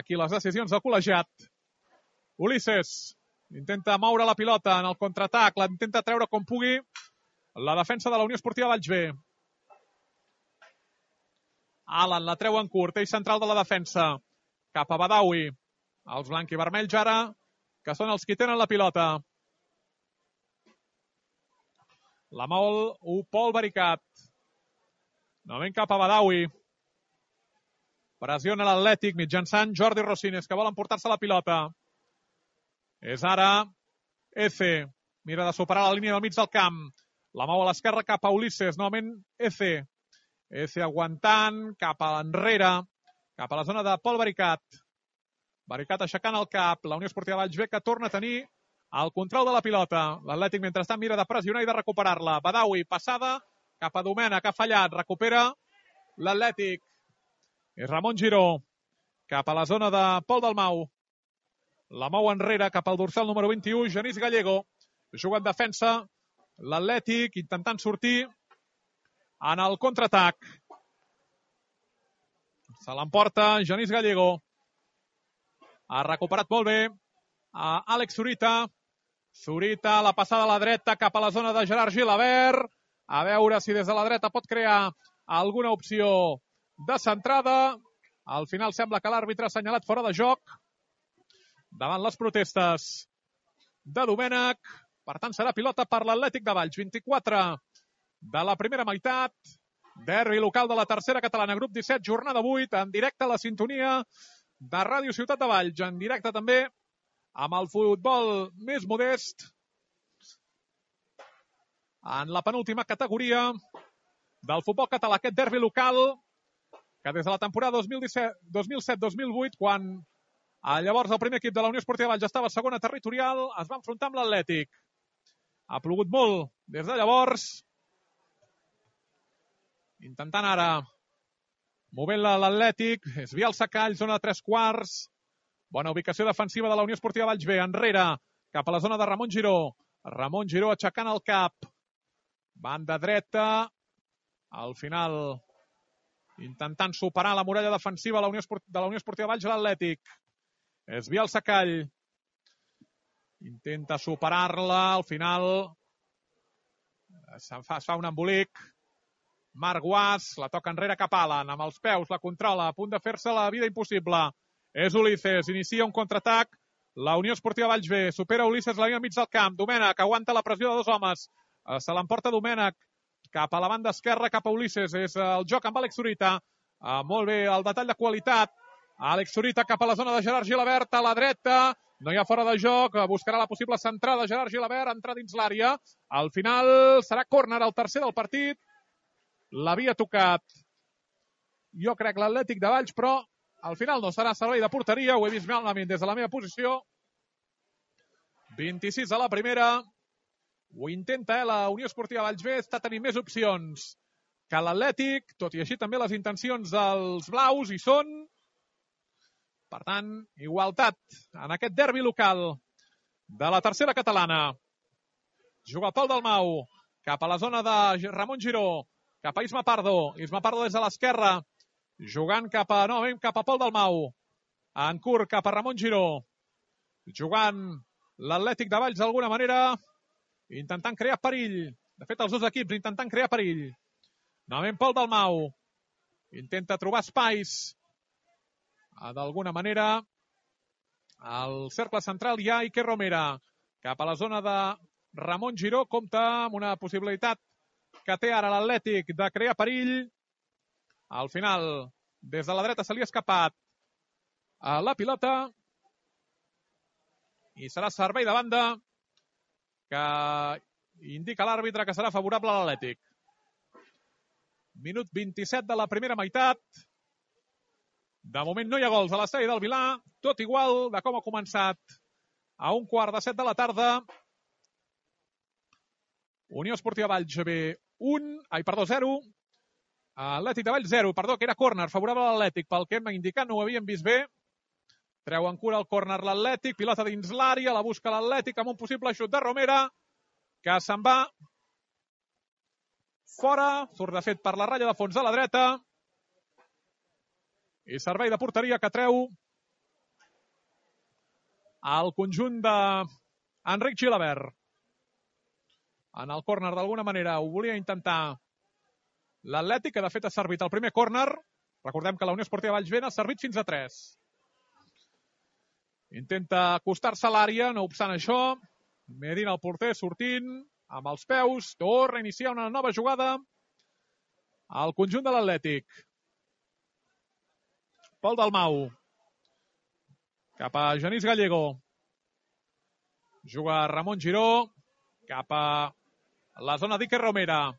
aquí les decisions del col·legiat. Ulisses intenta moure la pilota en el contraatac, la intenta treure com pugui la defensa de la Unió Esportiva Bellvitge. Alan la treu en curt, eix central de la defensa. cap a Badawi. Els blanquivermells ara, que són els qui tenen la pilota. La mou Pol Baricat. Novament cap a Badawi. Pressiona l'Atlètic mitjançant Jordi Rosines, que vol emportar-se la pilota. És ara Eze. Mira de superar la línia del mig del camp. La mou a l'esquerra cap a Ulisses. Novament Eze. Eze aguantant cap a l'enrere, cap a la zona de Pol Baricat. Baricat aixecant el cap. La Unió Esportiva Valls B, que torna a tenir el control de la pilota. L'Atlètic, mentrestant, mira de pressionar i de recuperar-la. Badawi, passada cap a Domènech, ha fallat. Recupera l'Atlètic. És Ramon Giró, cap a la zona de Pol Dalmau. La mou enrere cap al dorsal número vint-i-u, Genís Gallego. Juga en defensa l'Atlètic, intentant sortir en el contraatac. Se l'emporta Genís Gallego. Ha recuperat molt bé a Àlex Zurita. Zurita, la passada a la dreta cap a la zona de Gerard Gilabert. A veure si des de la dreta pot crear alguna opció de centrada. Al final sembla que l'àrbitre ha assenyalat fora de joc davant les protestes de Domènech. Per tant, serà pilota per l'Atlètic de Valls. vint-i-quatre de la primera meitat. Derbi local de la tercera catalana, grup disset, jornada vuit, en directe a la sintonia de Ràdio Ciutat de Valls. En directe també amb el futbol més modest en la penúltima categoria del futbol català. Aquest derbi local que des de la temporada dos mil disset dos mil set dos mil vuit, quan llavors el primer equip de la Unió Esportiva Valls estava a segona territorial, es va enfrontar amb l'Atlètic. Ha plogut molt des de llavors. Intentant ara movent-la l'Atlètic. És Biel Sacall, zona de tres quarts. Bona ubicació defensiva de la Unió Esportiva Valls B. Enrere, cap a la zona de Ramon Giró. Ramon Giró aixecant el cap. Banda dreta. Al final, intentant superar la muralla defensiva de la Unió Esportiva, de la Unió Esportiva Valls a l'Atlètic. És Biel Sacall. Intenta superar-la. Al final es fa, es fa un embolic. Marc Guas, la toca enrere cap a Alan, amb els peus, la controla, a punt de fer-se la vida impossible. És Ulisses, inicia un contraatac. La Unió Esportiva Valls B, supera Ulisses la línia mig del camp. Domènech, aguanta la pressió de dos homes. Se l'emporta Domènech cap a la banda esquerra, cap a Ulisses. És el joc amb Àlex Zurita. Uh, molt bé, el detall de qualitat. Àlex Zurita cap a la zona de Gerard Gilabert, a la dreta. No hi ha fora de joc, buscarà la possible centrada. Gerard Gilabert, entra dins l'àrea. Al final serà córner, el tercer del partit. L'havia tocat, jo crec, l'Atlètic de Valls, però al final no serà servei de porteria. Ho he vist malament des de la meva posició. vint-i-sis a la primera. Ho intenta, eh? La Unió Esportiva Valls B està tenint més opcions que l'Atlètic, tot i així també les intencions dels blaus hi són. Per tant, igualtat en aquest derbi local de la tercera catalana. Juga Pol Dalmau cap a la zona de Ramon Giró. Cap a Isma Pardo. Isma Pardo des de l'esquerra. Jugant cap a, novament cap a Pol Dalmau. En curt cap a Ramon Giró. Jugant l'Atlètic de Valls d'alguna manera. Intentant crear perill. De fet, els dos equips intentant crear perill. Novament Pol Dalmau. Intenta trobar espais. D'alguna manera. Al cercle central hi ha Iker Romera. Cap a la zona de Ramon Giró. Compta amb una possibilitat que té ara l'Atlètic de crear perill. Al final, des de la dreta se li ha escapat a la pilota. I serà servei de banda que indica l'àrbitre que serà favorable a l'Atlètic. Minut vint-i-set de la primera meitat. De moment no hi ha gols a l'estadi del Vilà. Tot igual de com ha començat a un quart de set de la tarda. Unió Esportiva Valls B un, ai, perdó, zero. Atlètic de Valls zero, perdó, que era córner, favorable a l'Atlètic. Pel que hem indicat, no ho havíem vist bé. Treu en cura el córner l'Atlètic, pilota dins l'àrea, la busca l'Atlètic amb un possible xut de Romera, que se'n va fora, surt de fet per la ratlla de fons de la dreta. I servei de porteria que treu el conjunt d'Enric Gilabert. En el córner, d'alguna manera, ho volia intentar l'Atlètic, que de fet ha servit el primer córner. Recordem que la Unió Esportiva Valls B ha servit fins a tres. Intenta acostar-se a l'àrea, no obstant això. Medina, el porter, sortint amb els peus. Torna a iniciar una nova jugada al conjunt de l'Atlètic. Pol Dalmau. Cap a Genís Gallego. Juga Ramon Giró. Cap a la zona d'Iker Romera.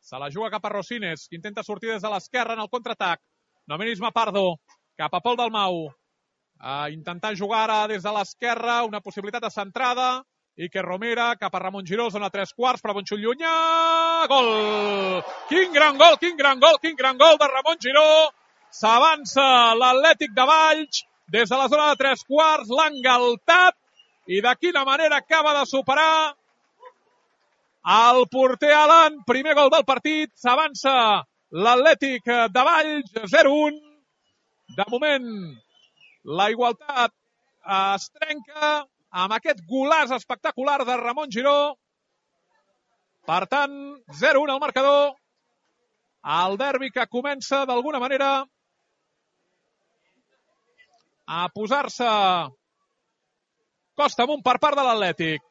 Se la juga cap a Rosines, que intenta sortir des de l'esquerra en el contraatac. Nomenisme Pardo. Cap a Pol Dalmau. A intentar jugar ara des de l'esquerra. Una possibilitat de centrada. Iker Romera cap a Ramon Giró, zona tres quarts, però bon xut llunyà. Gol! Quin gran gol, quin gran gol, quin gran gol de Ramon Giró. S'avança l'Atlètic de Valls des de la zona de tres quarts, l'ha engaltat i de quina manera acaba de superar el porter Alan. Primer gol del partit, s'avança l'Atlètic de Valls, zero un. De moment, la igualtat es trenca amb aquest golaç espectacular de Ramon Giró. Per tant, zero un al marcador. El derbi que comença d'alguna manera a posar-se costa amunt per part de l'Atlètic.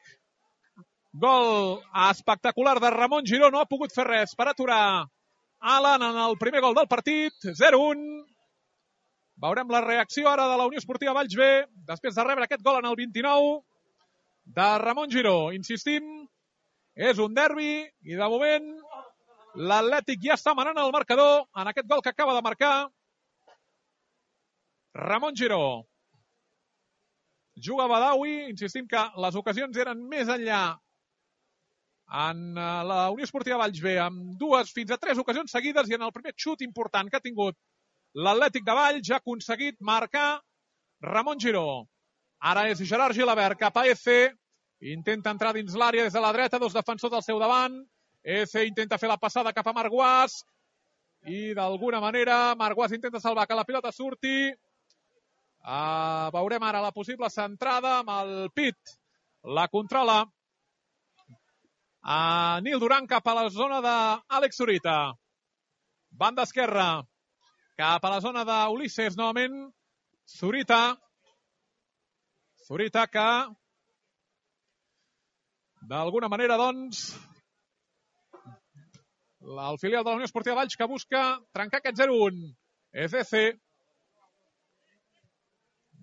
Gol espectacular de Ramon Giró. No ha pogut fer res per aturar Alan en el primer gol del partit. zero un. Veurem la reacció ara de la Unió Esportiva Valls B, després de rebre aquest gol en el vint-i-nou de Ramon Giró. Insistim, és un derbi i de moment l'Atlètic ja està manant el marcador en aquest gol que acaba de marcar Ramon Giró. Juga Badawi, insistim que les ocasions eren més enllà en la Unió Esportiva Valls B, amb dues fins a tres ocasions seguides i en el primer xut important que ha tingut l'Atlètic de Valls ja ha aconseguit marcar Ramon Giró. Ara és Gerard Gilabert cap a Eze. Intenta entrar dins l'àrea des de la dreta, dos defensors al seu davant. Eze intenta fer la passada cap a Marc Guas. I d'alguna manera Marc Guas intenta salvar que la pilota surti. Uh, veurem ara la possible centrada amb el pit. La controla a uh, Nil Duran cap a la zona d'Àlex Zurita. Banda esquerra. Cap a la zona d'Ulisses, novament, Zurita. Zurita que, d'alguna manera, doncs, el filial de la Unió Esportiva Valls que busca trencar aquest zero un. És Eze.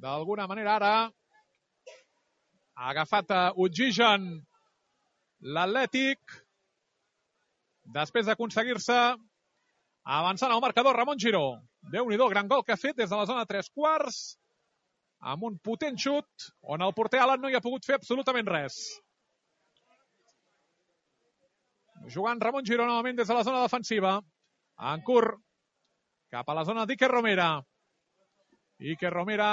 D'alguna manera, ara, ha agafat oxigen l'Atlètic, després d'aconseguir-se avançant al marcador Ramon Giró. Déu-n'hi-do, gran gol que ha fet des de la zona de tres quarts, amb un potent xut, on el porter Alan no hi ha pogut fer absolutament res. Jugant Ramon Giró novament des de la zona defensiva. En curt, cap a la zona d'Iker Romera. Iker Romera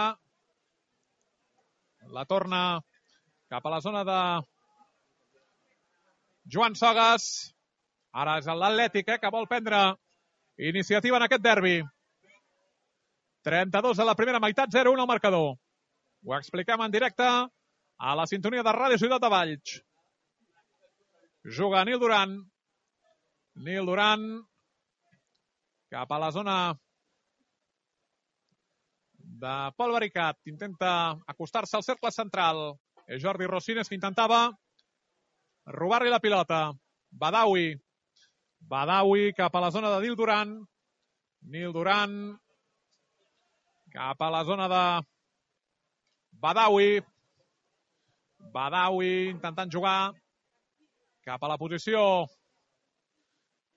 la torna cap a la zona de Joan Sogas. Ara és l'Atlètic eh, que vol prendre iniciativa en aquest derbi. trenta-dos a la primera meitat, zero un al marcador. Ho expliquem en directe a la sintonia de Ràdio Ciutat de Valls. Juga Nil Duran. Nil Duran cap a la zona de Pol Baricat. Intenta acostar-se al cercle central. És Jordi Rosines que intentava robar-li la pilota. Badawi. Badawi cap a la zona de Nil Duran. Nil Duran cap a la zona de Badawi. Badawi intentant jugar cap a la posició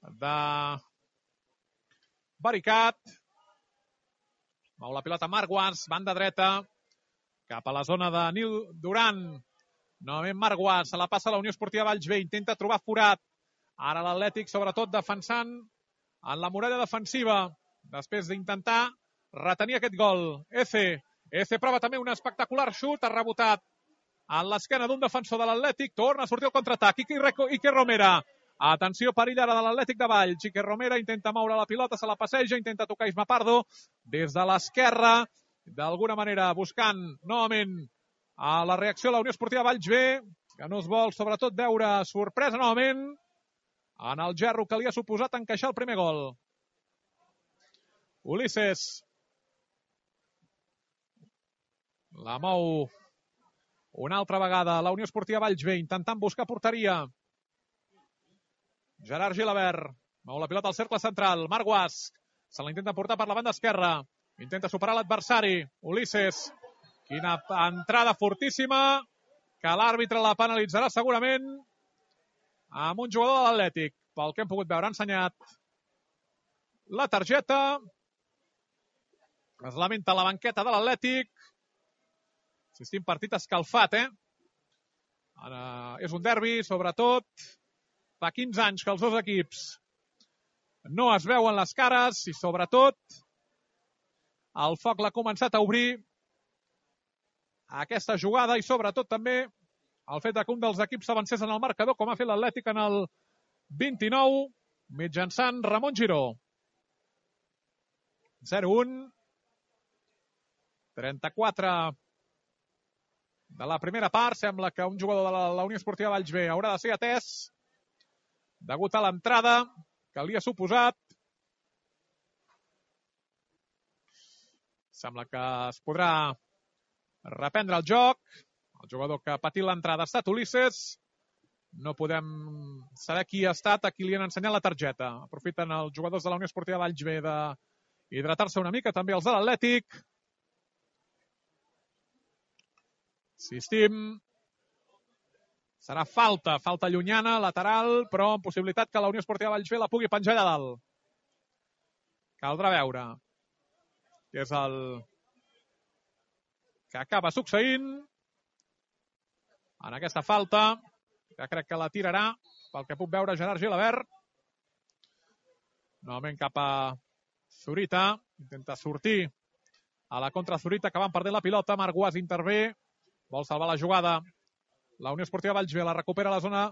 de Baricat. Mou la pilota Marc Guas, banda dreta, cap a la zona de Nil Duran. Novament Marc Guas, se la passa a la Unió Esportiva Valls B, intenta trobar forat. Ara l'Atlètic, sobretot, defensant en la muralla defensiva, després d'intentar retenir aquest gol. Eze. Eze prova també un espectacular xut, ha rebotat en l'esquena d'un defensor de l'Atlètic, torna a sortir el contraatac. Iker Romera. Atenció, perill ara de l'Atlètic de Valls. Iker Romera intenta moure la pilota, se la passeja, intenta tocar Isma Pardo des de l'esquerra, d'alguna manera buscant novament a la reacció de la Unió Esportiva Valls B, que no es vol sobretot veure sorpresa novament en el gerro que li ha suposat encaixar el primer gol. Ulisses. La mou una altra vegada la Unió Esportiva Valls B, intentant buscar porteria. Gerard Gilabert mou la pilota al cercle central. Marc Guasc se la intenta portar per la banda esquerra. Intenta superar l'adversari. Ulisses. Quina entrada fortíssima que l'àrbitre la penalitzarà segurament amb un jugador de l'Atlètic. Pel que hem pogut veure, ha ensenyat la targeta. Es lamenta la banqueta de l'Atlètic. Insistim, partit escalfat, eh? Ara és un derbi, sobretot. Fa quinze anys que els dos equips no es veuen les cares i, sobretot, el foc l'ha començat a obrir aquesta jugada i, sobretot, també el fet que un dels equips s'avancés en el marcador, com ha fet l'Atlètic en el vint-i-nou, mitjançant Ramon Giró. zero un. trenta-quatre de la primera part. Sembla que un jugador de la, la Unió Esportiva Valls B haurà de ser atès degut a l'entrada que li ha suposat. Sembla que es podrà reprendre el joc. El jugador que ha patit l'entrada ha estat Ulisses. No podem saber qui ha estat, a qui li han ensenyat la targeta. Aprofiten els jugadors de la Unió Esportiva Valls B d'hidratar-se una mica, també els de l'Atlètic. Insistim, serà falta, falta llunyana, lateral, però amb possibilitat que la Unió Esportiva Valls B la pugui penjar allà dalt. Caldrà veure què és el que acaba succeint en aquesta falta, que crec que la tirarà, pel que puc veure, Gerard Gilabert. Novament cap a Zurita, intenta sortir a la contra Zurita, que van perdent la pilota. Marc Guas intervé, vol salvar la jugada. La Unió Esportiva Valls B la recupera a la zona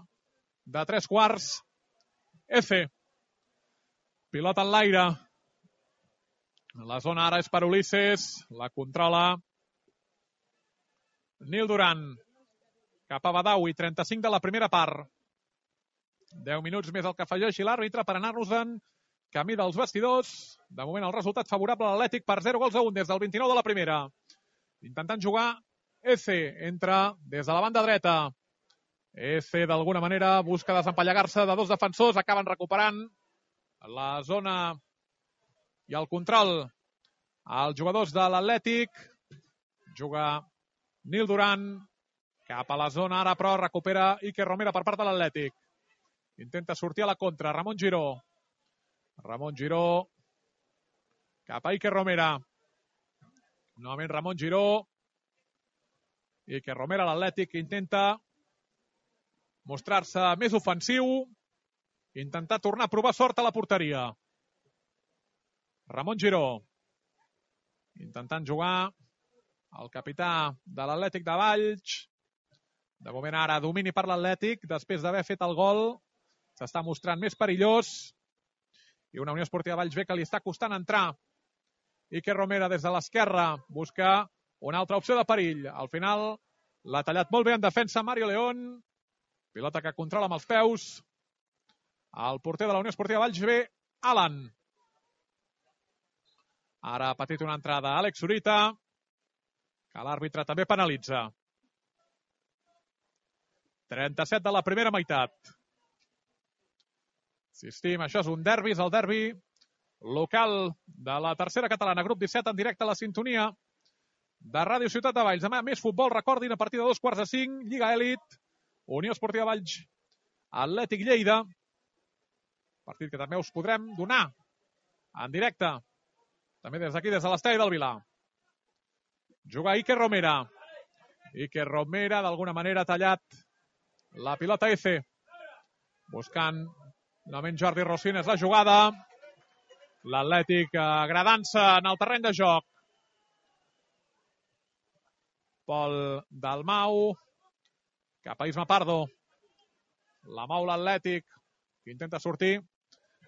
de tres quarts. F. Pilota en l'aire. La zona ara és per Ulisses. La controla Nil Duran. Cap a Badawi. trenta-cinc de la primera part. deu minuts més el que afegeixi l'àrbitre per anar-nos-en camí dels vestidors. De moment el resultat favorable a l'Atlètic per zero gols a un des del vint-i-nou de la primera. Intentant jugar F. Entra des de la banda dreta. F d'alguna manera busca desempallegar-se de dos defensors. Acaben recuperant la zona i el control als jugadors de l'Atlètic. Juga Nil Duran cap a la zona ara, però recupera Iker Romera per part de l'Atlètic. Intenta sortir a la contra. Ramon Giró. Ramon Giró cap a Iker Romera. Novament Ramon Giró. Iker Romera, l'Atlètic, intenta mostrar-se més ofensiu, intentar tornar a provar sort a la porteria. Ramon Giró intentant jugar el capità de l'Atlètic de Valls. De moment ara domini per l'Atlètic després d'haver fet el gol. S'està mostrant més perillós i una Unió Esportiva Valls B que li està costant entrar. Iker Romera des de l'esquerra busca una altra opció de perill. Al final l'ha tallat molt bé en defensa Mario León. Pilota que controla amb els peus el porter de la Unió Esportiva Valls B, Alan. Ara ha patit una entrada Àlex Zurita, que l'àrbitre també penalitza. trenta-set de la primera meitat. Insistim, això és un derbi, és el derbi local de la tercera catalana, grup disset, en directe a la sintonia de Ràdio Ciutat de Valls. Demà més futbol, recordin, a partir de dos quarts de cinc, Lliga Elit, Unió Esportiva Valls, Atlètic Lleida. Partit que també us podrem donar en directe, també des d'aquí, des de l'estadi del Vilar. Juga Iker Romera. Iker Romera, d'alguna manera, ha tallat la pilota F. Buscant novament Jordi Rosines la jugada. L'Atlètic agradant-se en el terreny de joc. Pol Dalmau cap a Isma Pardo. La mou l'Atlètic, que intenta sortir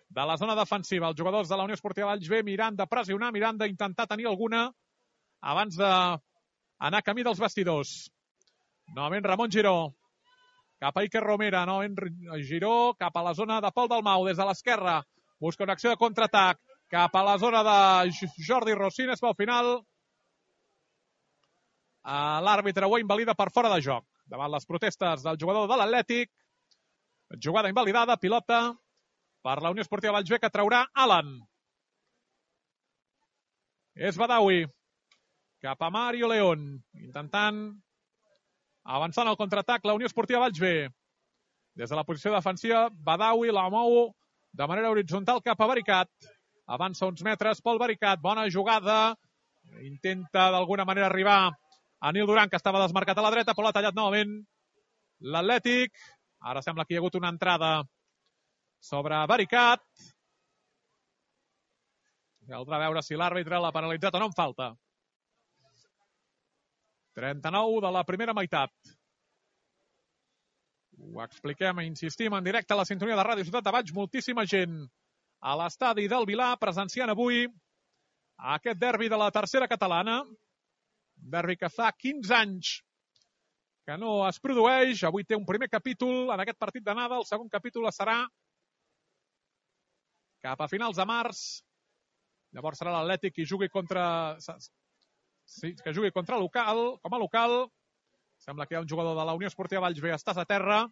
de la zona defensiva. Els jugadors de la Unió Esportiva Valls B mirant de pressionar, mirant d'intentar tenir alguna abans d'anar camí dels vestidors. Novament Ramon Giró cap a Iker Romera. Novament Giró cap a la zona de Pol Dalmau des de l'esquerra. Busca una acció de contraatac cap a la zona de Jordi Rosines, però al final L'àrbitre ho invalida per fora de joc. Davant les protestes del jugador de l'Atlètic. Jugada invalidada, pilota per la Unió Esportiva Valls B, que traurà Alan. És Badawi. Cap a Mario León. Intentant avançar en el contraatac la Unió Esportiva Valls B. Des de la posició defensiva, Badawi la mou de manera horitzontal cap a Baricat. Avança uns metres pel Baricat. Bona jugada. Intenta d'alguna manera arribar a Nil Duran, que estava desmarcat a la dreta, però l'ha tallat novament l'Atlètic. Ara sembla que hi ha hagut una entrada sobre Baricat. Caldrà veure si l'àrbitre l'ha penalitzat o no en falta. trenta-nou de la primera meitat. Ho expliquem i insistim en directe a la sintonia de Ràdio Ciutat de Valls. Moltíssima gent a l'estadi del Vilar presenciant avui aquest derbi de la tercera catalana. Derbi que fa quinze anys que no es produeix. Avui té un primer capítol en aquest partit d'anada. El segon capítol serà cap a finals de març. Llavors serà l'Atlètic qui jugui contra... Sí, que jugui contra local, com a local. Sembla que hi ha un jugador de la Unió Esportiva Valls B. Estàs a terra.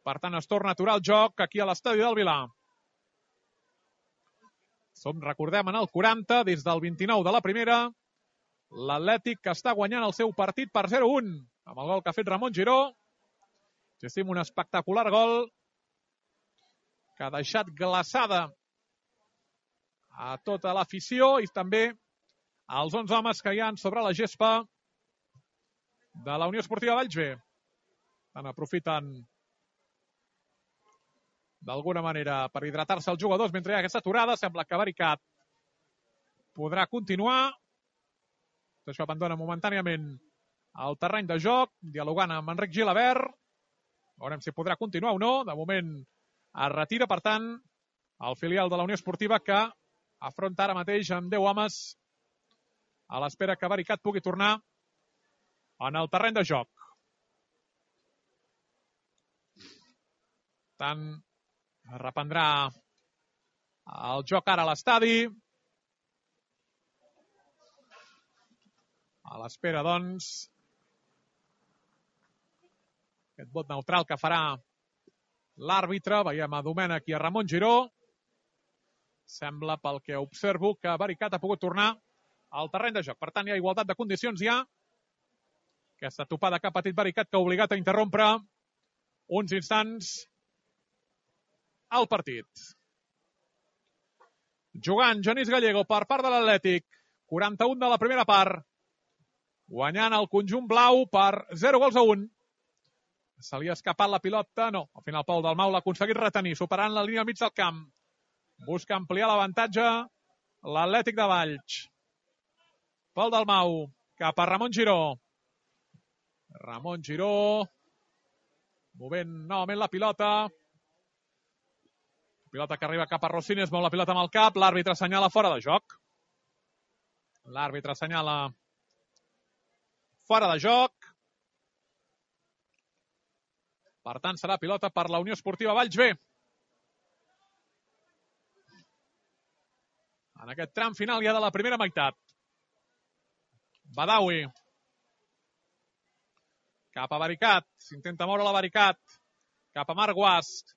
Per tant, es torna a aturar el joc aquí a l'estadi del Vilar. Som, recordem, en el quaranta, des del vint-i-nou de la primera. L'Atlètic que està guanyant el seu partit per zero a un. Amb el gol que ha fet Ramon Giró. Gestim un espectacular gol que ha deixat glaçada a tota l'afició i també als onze homes que hi ha sobre la gespa de la Unió Esportiva Valls B. Tant aprofiten d'alguna manera per hidratar-se els jugadors mentre hi ha aquesta aturada. Sembla que Baricat podrà continuar. Això abandona momentàniament el terreny de joc, dialogant amb Enric Gilabert. Veurem si podrà continuar o no. De moment es retira, per tant, el filial de la Unió Esportiva, que afronta ara mateix amb deu homes a l'espera que Baricat pugui tornar en el terreny de joc. Tant reprendrà el joc ara a l'estadi. A l'espera, doncs, aquest vot neutral que farà l'àrbitre. Veiem a Domènech i a Ramon Giró. Sembla, pel que observo, que Baricat ha pogut tornar al terreny de joc. Per tant, hi ha igualtat de condicions ja. Aquesta topada que ha patit Baricat, que ha obligat a interrompre uns instants al partit. Jugant Genís Gallego per part de l'Atlètic. quaranta-un de la primera part. Guanyant el conjunt blau per zero gols a un. Se li ha escapat la pilota. No, al final Pol Dalmau l'ha aconseguit retenir, superant la línia al mig del camp. Busca ampliar l'avantatge l'Atlètic de Valls. Pol Dalmau cap a Ramon Giró. Ramon Giró movent novament la pilota. Pilota que arriba cap a Rossini, es mou la pilota amb el cap. L'àrbitre assenyala fora de joc. L'àrbitre assenyala fora de joc. Per tant, serà pilota per la Unió Esportiva Valls B. En aquest tram final ja de la primera meitat. Badawi. Cap a Baricat. S'intenta moure la Baricat. Cap a Marc Guasc.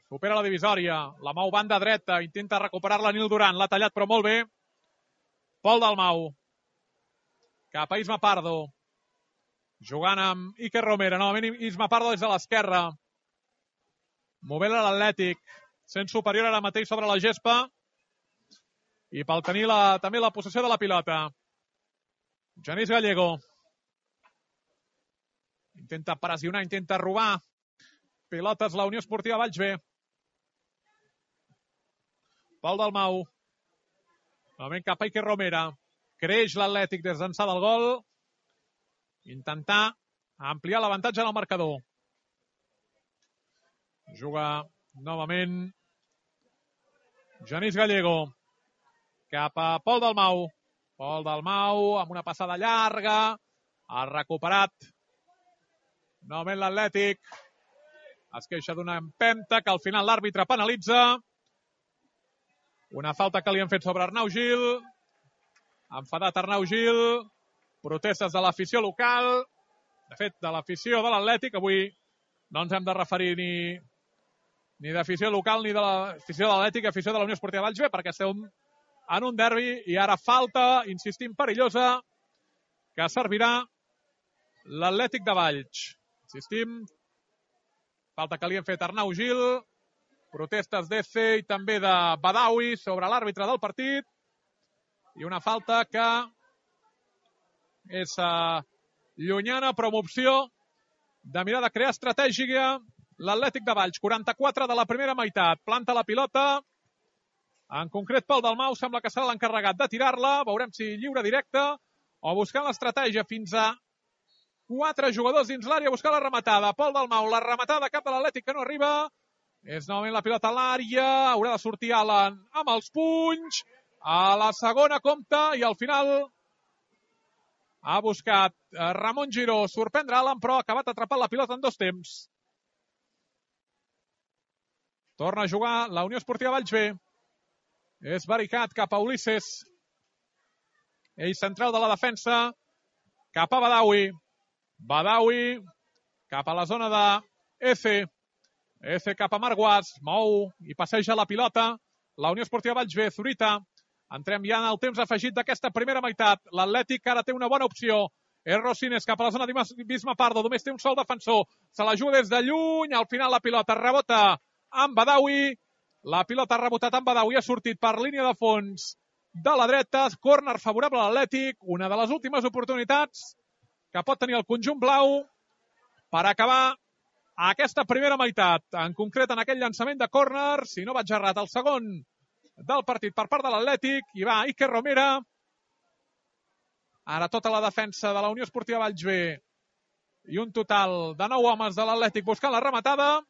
Supera la divisòria. La mou banda dreta. Intenta recuperar-la Nil Duran. L'ha tallat, però molt bé. Pol Dalmau. Cap a Isma Pardo. Jugant amb Iker Romera. Novament Isma Pardo des de l'esquerra. Movent l'Atlètic. Sent superior ara mateix sobre la gespa. I pel tenir la, també la possessió de la pilota. Genís Gallego. Intenta pressionar, intenta robar pilotes la Unió Esportiva Valls B. Pol Dalmau. Novament cap a Iker Romera. Creix l'Atlètic des d'ençà del gol. Intentar ampliar l'avantatge en el marcador. Juga novament Genís Gallego. Cap a Pol Dalmau. Pol Dalmau amb una passada llarga. Ha recuperat novament l'Atlètic. Es queixa d'una empenta que al final l'àrbitre penalitza. Una falta que li han fet sobre Arnau Gil. Enfadat Arnau Gil. protestes de l'afició local, de fet, de l'afició de l'Atlètic. Avui no ens hem de referir ni, ni d'afició local ni de l'afició de l'Atlètic, afició de la Unió Esportiva Valls B, perquè estem en un derbi i ara falta, insistim, perillosa, que servirà l'Atlètic de Valls. Insistim, falta que li hem fet Arnau Gil, protestes d'Ece i també de Badawi sobre l'àrbitre del partit, i una falta que és uh, llunyana, però amb opció de mirar de crear estratègia l'Atlètic de Valls. quaranta-quatre de la primera meitat, planta la pilota, en concret Pol Dalmau sembla que serà l'encarregat de tirar-la, veurem si lliure directe o buscant l'estratègia fins a quatre jugadors dins l'àrea buscant la rematada. Pol Dalmau, la rematada cap de l'Atlètic que no arriba, és novament la pilota a l'àrea, haurà de sortir Alan amb els punys, a la segona compta i al final ha buscat Ramon Giró sorprendre Alan, però ha acabat atrapant la pilota en dos temps. Torna a jugar la Unió Esportiva Valls B. És Baricat cap a Ulisses. Ell central de la defensa. Cap a Badawi. Badawi cap a la zona de Ece. Ece cap a Marguas. Mou i passeja la pilota. La Unió Esportiva Valls B. Zurita. Entrem ja en el temps afegit d'aquesta primera meitat. L'Atlètic ara té una bona opció. És Rosines cap a la zona d'Isma Pardo. Només té un sol defensor. Se la juga des de lluny. Al final la pilota rebota amb Badawi. La pilota ha rebotat amb Badawi. Ha sortit per línia de fons de la dreta. Córner favorable a l'Atlètic. Una de les últimes oportunitats que pot tenir el conjunt blau per acabar aquesta primera meitat. En concret, en aquell llançament de córner, si no vaig errat, el segon del partit per part de l'Atlètic. I va Iker Romera. Ara tota la defensa de la Unió Esportiva Valls B i un total de nou homes de l'Atlètic buscant la rematada.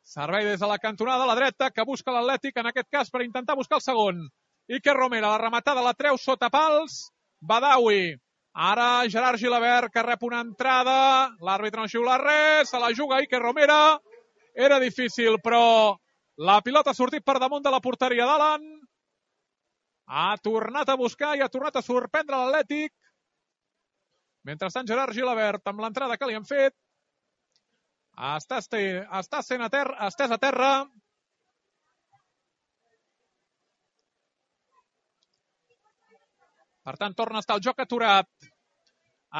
Servei des de la cantonada a la dreta que busca l'Atlètic, en aquest cas per intentar buscar el segon. Iker Romera, la rematada la treu sota pals. Badawi. Ara Gerard Gilabert que rep una entrada. L'àrbitre no xiula res. Se la juga Iker Romera. Era difícil, però la pilota ha sortit per damunt de la porteria d'Alan. Ha tornat a buscar i ha tornat a sorprendre l'Atlètic. Mentrestant, Gerard Gilabert, amb l'entrada que li han fet, està, està sent a terra, estès a terra. Per tant, torna a estar el joc aturat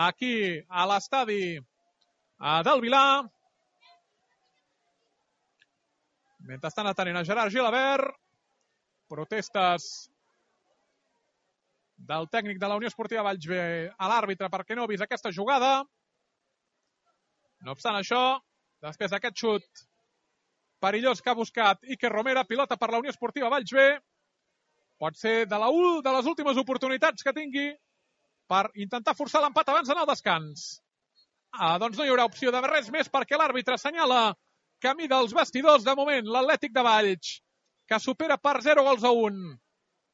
aquí a l'estadi del Vilar. Mentrestant, atenent a Gerard Gilabert. Protestes del tècnic de la Unió Esportiva Valls B a l'àrbitre perquè no ha vist aquesta jugada. No obstant això, després d'aquest xut perillós que ha buscat Iker Romera, pilota per la Unió Esportiva Valls B, pot ser de, la, de les últimes oportunitats que tingui per intentar forçar l'empat abans d'anar al descans. Ah, doncs no hi haurà opció de res més perquè l'àrbitre assenyala camí dels vestidors. De moment, l'Atlètic de Valls, que supera per zero gols a un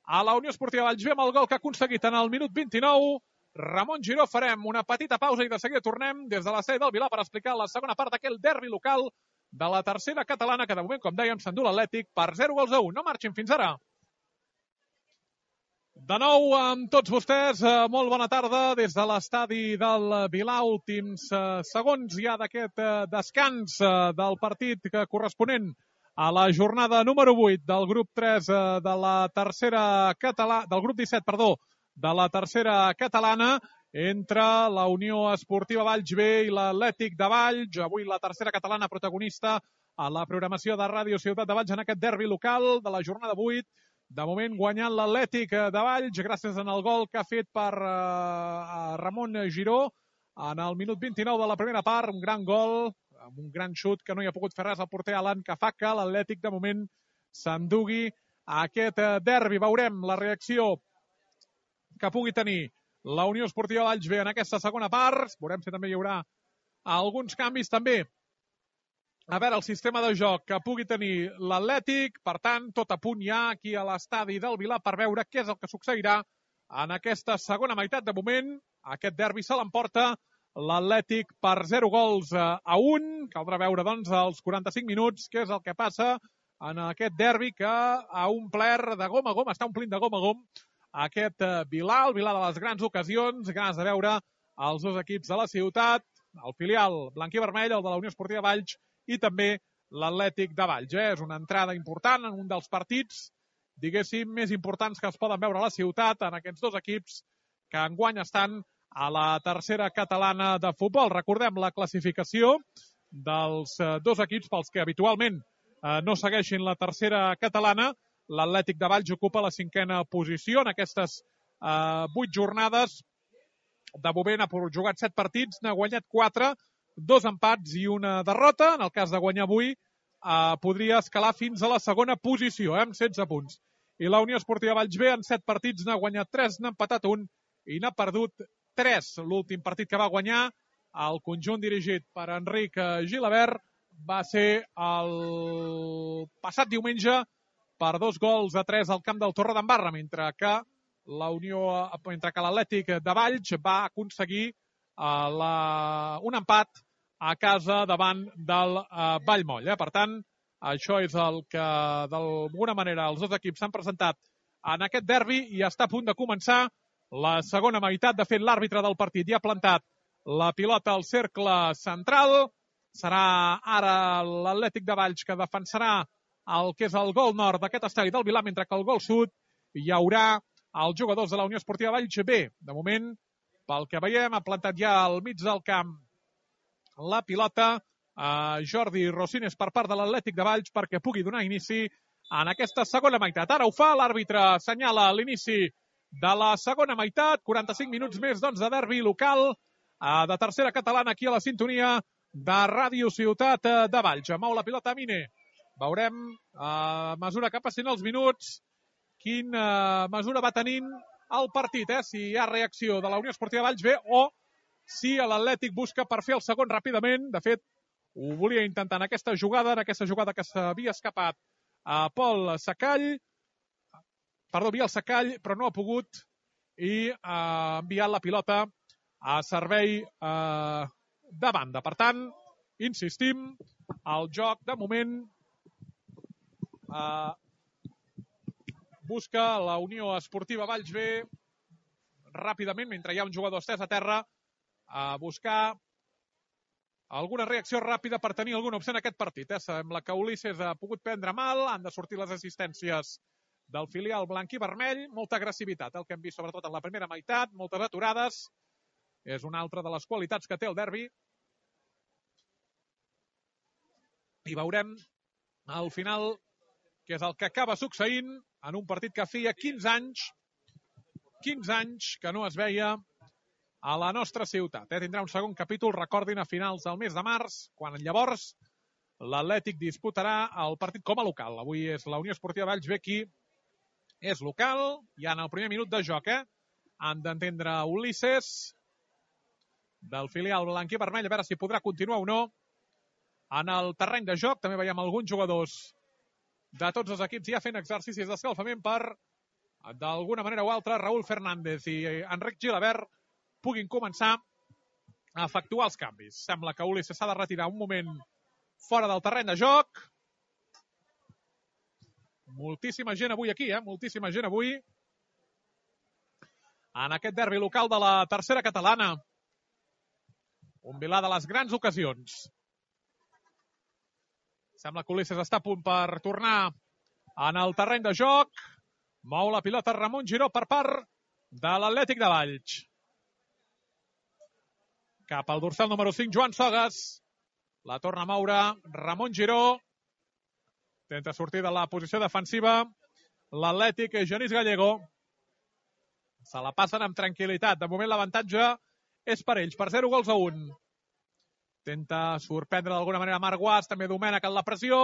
a la Unió Esportiva Valls B amb el gol que ha aconseguit en el minut vint-i-nou. Ramon Giró, farem una petita pausa i de seguida tornem des de la sede del Vilar per explicar la segona part d'aquell derbi local de la tercera catalana, que de moment, com dèiem, s'endú l'Atlètic per zero gols a un. No marxin fins ara. De nou amb tots vostès, molt bona tarda des de l'estadi del Vilar. Últims segons ja d'aquest descans del partit corresponent a la jornada número vuit del grup tres de la tercera catalana, del grup disset, perdó, de la tercera catalana entre la Unió Esportiva Valls B i l'Atlètic de Valls. Avui la tercera catalana protagonista a la programació de Ràdio Ciutat de Valls en aquest derbi local de la jornada vuit. De moment guanyant l'Atlètic de Valls gràcies al gol que ha fet per uh, Ramon Giró en el minut vint-i-nou de la primera part. Un gran gol, amb un gran xut que no hi ha pogut fer res al porter Alan, que fa que l'Atlètic de moment s'endugui a aquest derbi. Veurem la reacció que pugui tenir la Unió Esportiva Valls B en aquesta segona part. Veurem si també hi haurà alguns canvis també. A veure, el sistema de joc que pugui tenir l'Atlètic. Per tant, tot a punt ja aquí a l'estadi del Vilar per veure què és el que succeirà en aquesta segona meitat. De moment, aquest derbi se l'emporta l'Atlètic per zero gols a un. Caldrà veure, doncs, als quaranta-cinc minuts què és el que passa en aquest derbi que ha omplert de gom a gom, està omplint de gom a gom aquest Vilà, el Vilà de les grans ocasions, ganes de veure els dos equips de la ciutat, el filial blanc-i-vermell, el de la Unió Esportiva Valls i també l'Atlètic de Valls. Eh? És una entrada important en un dels partits, diguéssim, més importants que es poden veure a la ciutat en aquests dos equips que enguany estan a la tercera catalana de futbol. Recordem la classificació dels dos equips pels que habitualment eh, no segueixin la tercera catalana. L'Atlètic de Valls ocupa la cinquena posició en aquestes eh, vuit jornades. De moment ha jugat set partits, n'ha guanyat quatre, dos empats i una derrota. En el cas de guanyar avui, eh, podria escalar fins a la segona posició, eh, amb setze punts. I la Unió Esportiva Valls B, en set partits, n'ha guanyat tres, n'ha empatat un i n'ha perdut tres. L'últim partit que va guanyar el conjunt dirigit per Enric Gilabert va ser el passat diumenge per dos gols a tres al camp del Torredembarra, mentre que la Unió, mentre que l'Atlètic de Valls va aconseguir uh, la, un empat a casa davant del uh, Vallmoll. Eh? Per tant, això és el que d'alguna manera els dos equips s'han presentat en aquest derbi i està a punt de començar la segona meitat. De fet, l'àrbitre del partit ja ha plantat la pilota al cercle central. Serà ara l'Atlètic de Valls que defensarà el que és el gol nord d'aquest estadi del Vilà, mentre que el gol sud hi haurà els jugadors de la Unió Esportiva Valls B. De moment, pel que veiem, ha plantat ja al mig del camp la pilota a Jordi Rosines per part de l'Atlètic de Valls perquè pugui donar inici en aquesta segona meitat. Ara ho fa, l'àrbitre assenyala l'inici de la segona meitat. quaranta-cinc minuts més doncs, de derbi local eh, de tercera catalana aquí a la sintonia de Ràdio Ciutat de Valls. Mou la pilota a Mine. Veurem a mesura que passin els minuts quina mesura va tenint el partit, eh? Si hi ha reacció de la Unió Esportiva Valls B o si l'Atlètic busca per fer el segon ràpidament. De fet, ho volia intentar en aquesta jugada, en aquesta jugada que s'havia escapat a Pol Sacall, perdó, Biel Sacall, però no ha pogut i ha enviat la pilota a servei eh, de banda. Per tant, insistim, el joc de moment eh, busca la Unió Esportiva Valls B ràpidament, mentre hi ha un jugador estès a terra, a buscar alguna reacció ràpida per tenir alguna opció en aquest partit. Eh? Sembla que Ulisses ha pogut prendre mal, han de sortir les assistències del filial blanc i vermell, molta agressivitat, el que hem vist sobretot en la primera meitat, moltes aturades, és una altra de les qualitats que té el derbi. I veurem al final què és el que acaba succeint en un partit que feia quinze anys, quinze anys que no es veia a la nostra ciutat. Eh? Tindrà un segon capítol, recordin, a finals del mes de març, quan llavors l'Atlètic disputarà el partit com a local. Avui és la Unió Esportiva Valls B qui és local, ja en el primer minut de joc. Eh? Han d'entendre Ulisses, del filial blanc i vermell, a veure si podrà continuar o no en el terreny de joc. També veiem alguns jugadors de tots els equips ja fent exercicis d'escalfament per, d'alguna manera o altra, Raúl Fernández i Enric Gilabert puguin començar a efectuar els canvis. Sembla que Ulisses s'ha de retirar un moment fora del terreny de joc. Moltíssima gent avui aquí, eh? Moltíssima gent avui en aquest derbi local de la tercera catalana. Un Vilà de les grans ocasions. Sembla que Ulisses està a punt per tornar en el terreny de joc. Mou la pilota Ramon Giró per part de l'Atlètic de Valls. Cap al dorsal número cinc, Joan Sogas. La torna a moure Ramon Giró. Intenta sortir de la posició defensiva l'Atlètic, Genís Gallego. Se la passen amb tranquil·litat. De moment l'avantatge és per ells, per zero gols a un. Intenta sorprendre d'alguna manera Marc Guas, també Domènech en la pressió.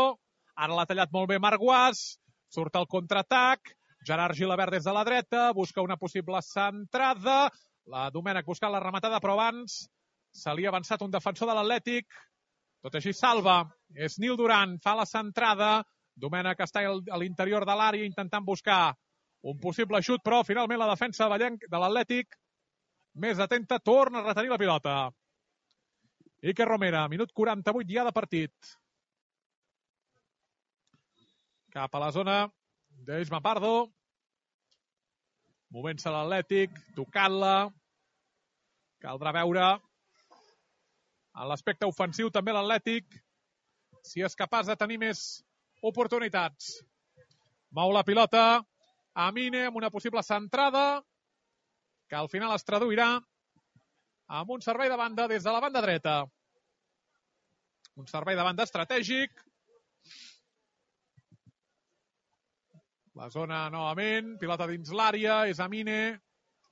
Ara l'ha tallat molt bé Marc Guas. Surt el contraatac. Gerard Gilabert des de la dreta. Busca una possible centrada. La Domènech buscant la rematada, però abans se li ha avançat un defensor de l'Atlètic. Tot així salva. És Nil Duran. Fa la centrada. Domènech està a l'interior de l'àrea intentant buscar un possible xut, però finalment la defensa de l'Atlètic, més atenta, torna a retenir la pilota. Iker Romera, minut quaranta-vuit ja de partit. Cap a la zona d'Isma Pardo. movent-se l'Atlètic, tocant-la. Caldrà veure en l'aspecte ofensiu també l'Atlètic si és capaç de tenir més oportunitats. Mou la pilota Amine amb una possible centrada que al final es traduirà amb un servei de banda des de la banda dreta. Un servei de banda estratègic. La zona novament, pilota dins l'àrea, és Amine.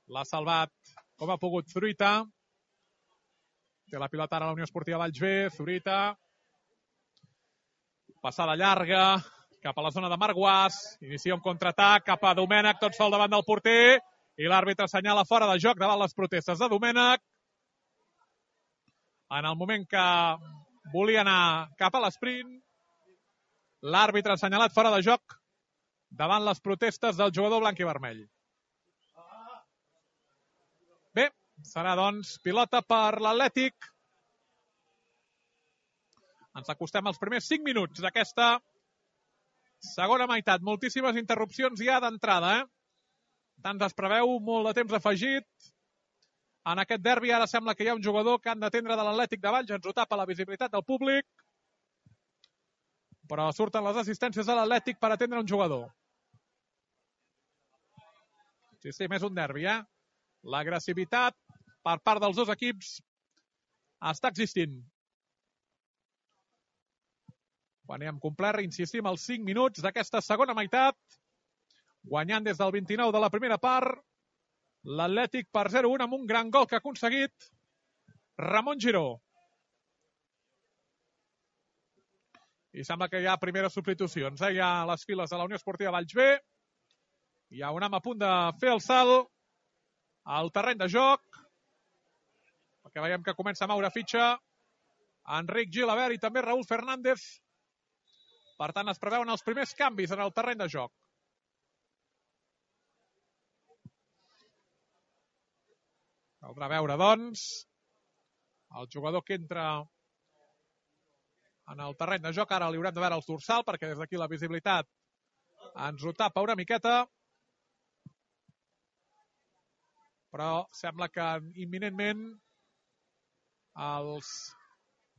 L'ha salvat com ha pogut Zurita. Té la pilota ara a la Unió Esportiva Valls B. Zurita. Passada llarga cap a la zona de Marc Inicia un contraatac cap a Domènech, tot sol davant del porter. I l'àrbitre assenyala fora de joc davant les protestes de Domènech. En el moment que volia anar cap a l'esprint, l'àrbitre ha assenyalat fora de joc davant les protestes del jugador blanc i vermell. Bé, serà doncs pilota per l'Atlètic. Ens acostem als primers cinc minuts d'aquesta segona meitat. Moltíssimes interrupcions ja d'entrada, eh? Tant es preveu, molt de temps afegit. En aquest derbi ara sembla que hi ha un jugador que han d'atendre de l'Atlètic de Valls. Ens ho tapa la visibilitat del públic. Però surten les assistències de l'Atlètic per atendre un jugador. Sí, sí, més un derbi, eh? L'agressivitat per part dels dos equips està existint. Quan hem complert, insistim, els cinc minuts d'aquesta segona meitat, guanyant des del vint-i-nou de la primera part, l'Atlètic per zero a un amb un gran gol que ha aconseguit Ramon Giró. I sembla que hi ha primeres substitucions. Eh? Hi ha les files de la Unió Esportiva Valls B. Hi ha un home a punt de fer el salt al terreny de joc, perquè veiem que comença a moure fitxa Enric Gilabert i també Raúl Fernández. Per tant, es preveuen els primers canvis en el terreny de joc. Caldrà veure, doncs, el jugador que entra en el terreny de joc. Ara li haurem de veure els dorsal, perquè des d'aquí la visibilitat ens ho tapa una miqueta. Però sembla que imminentment els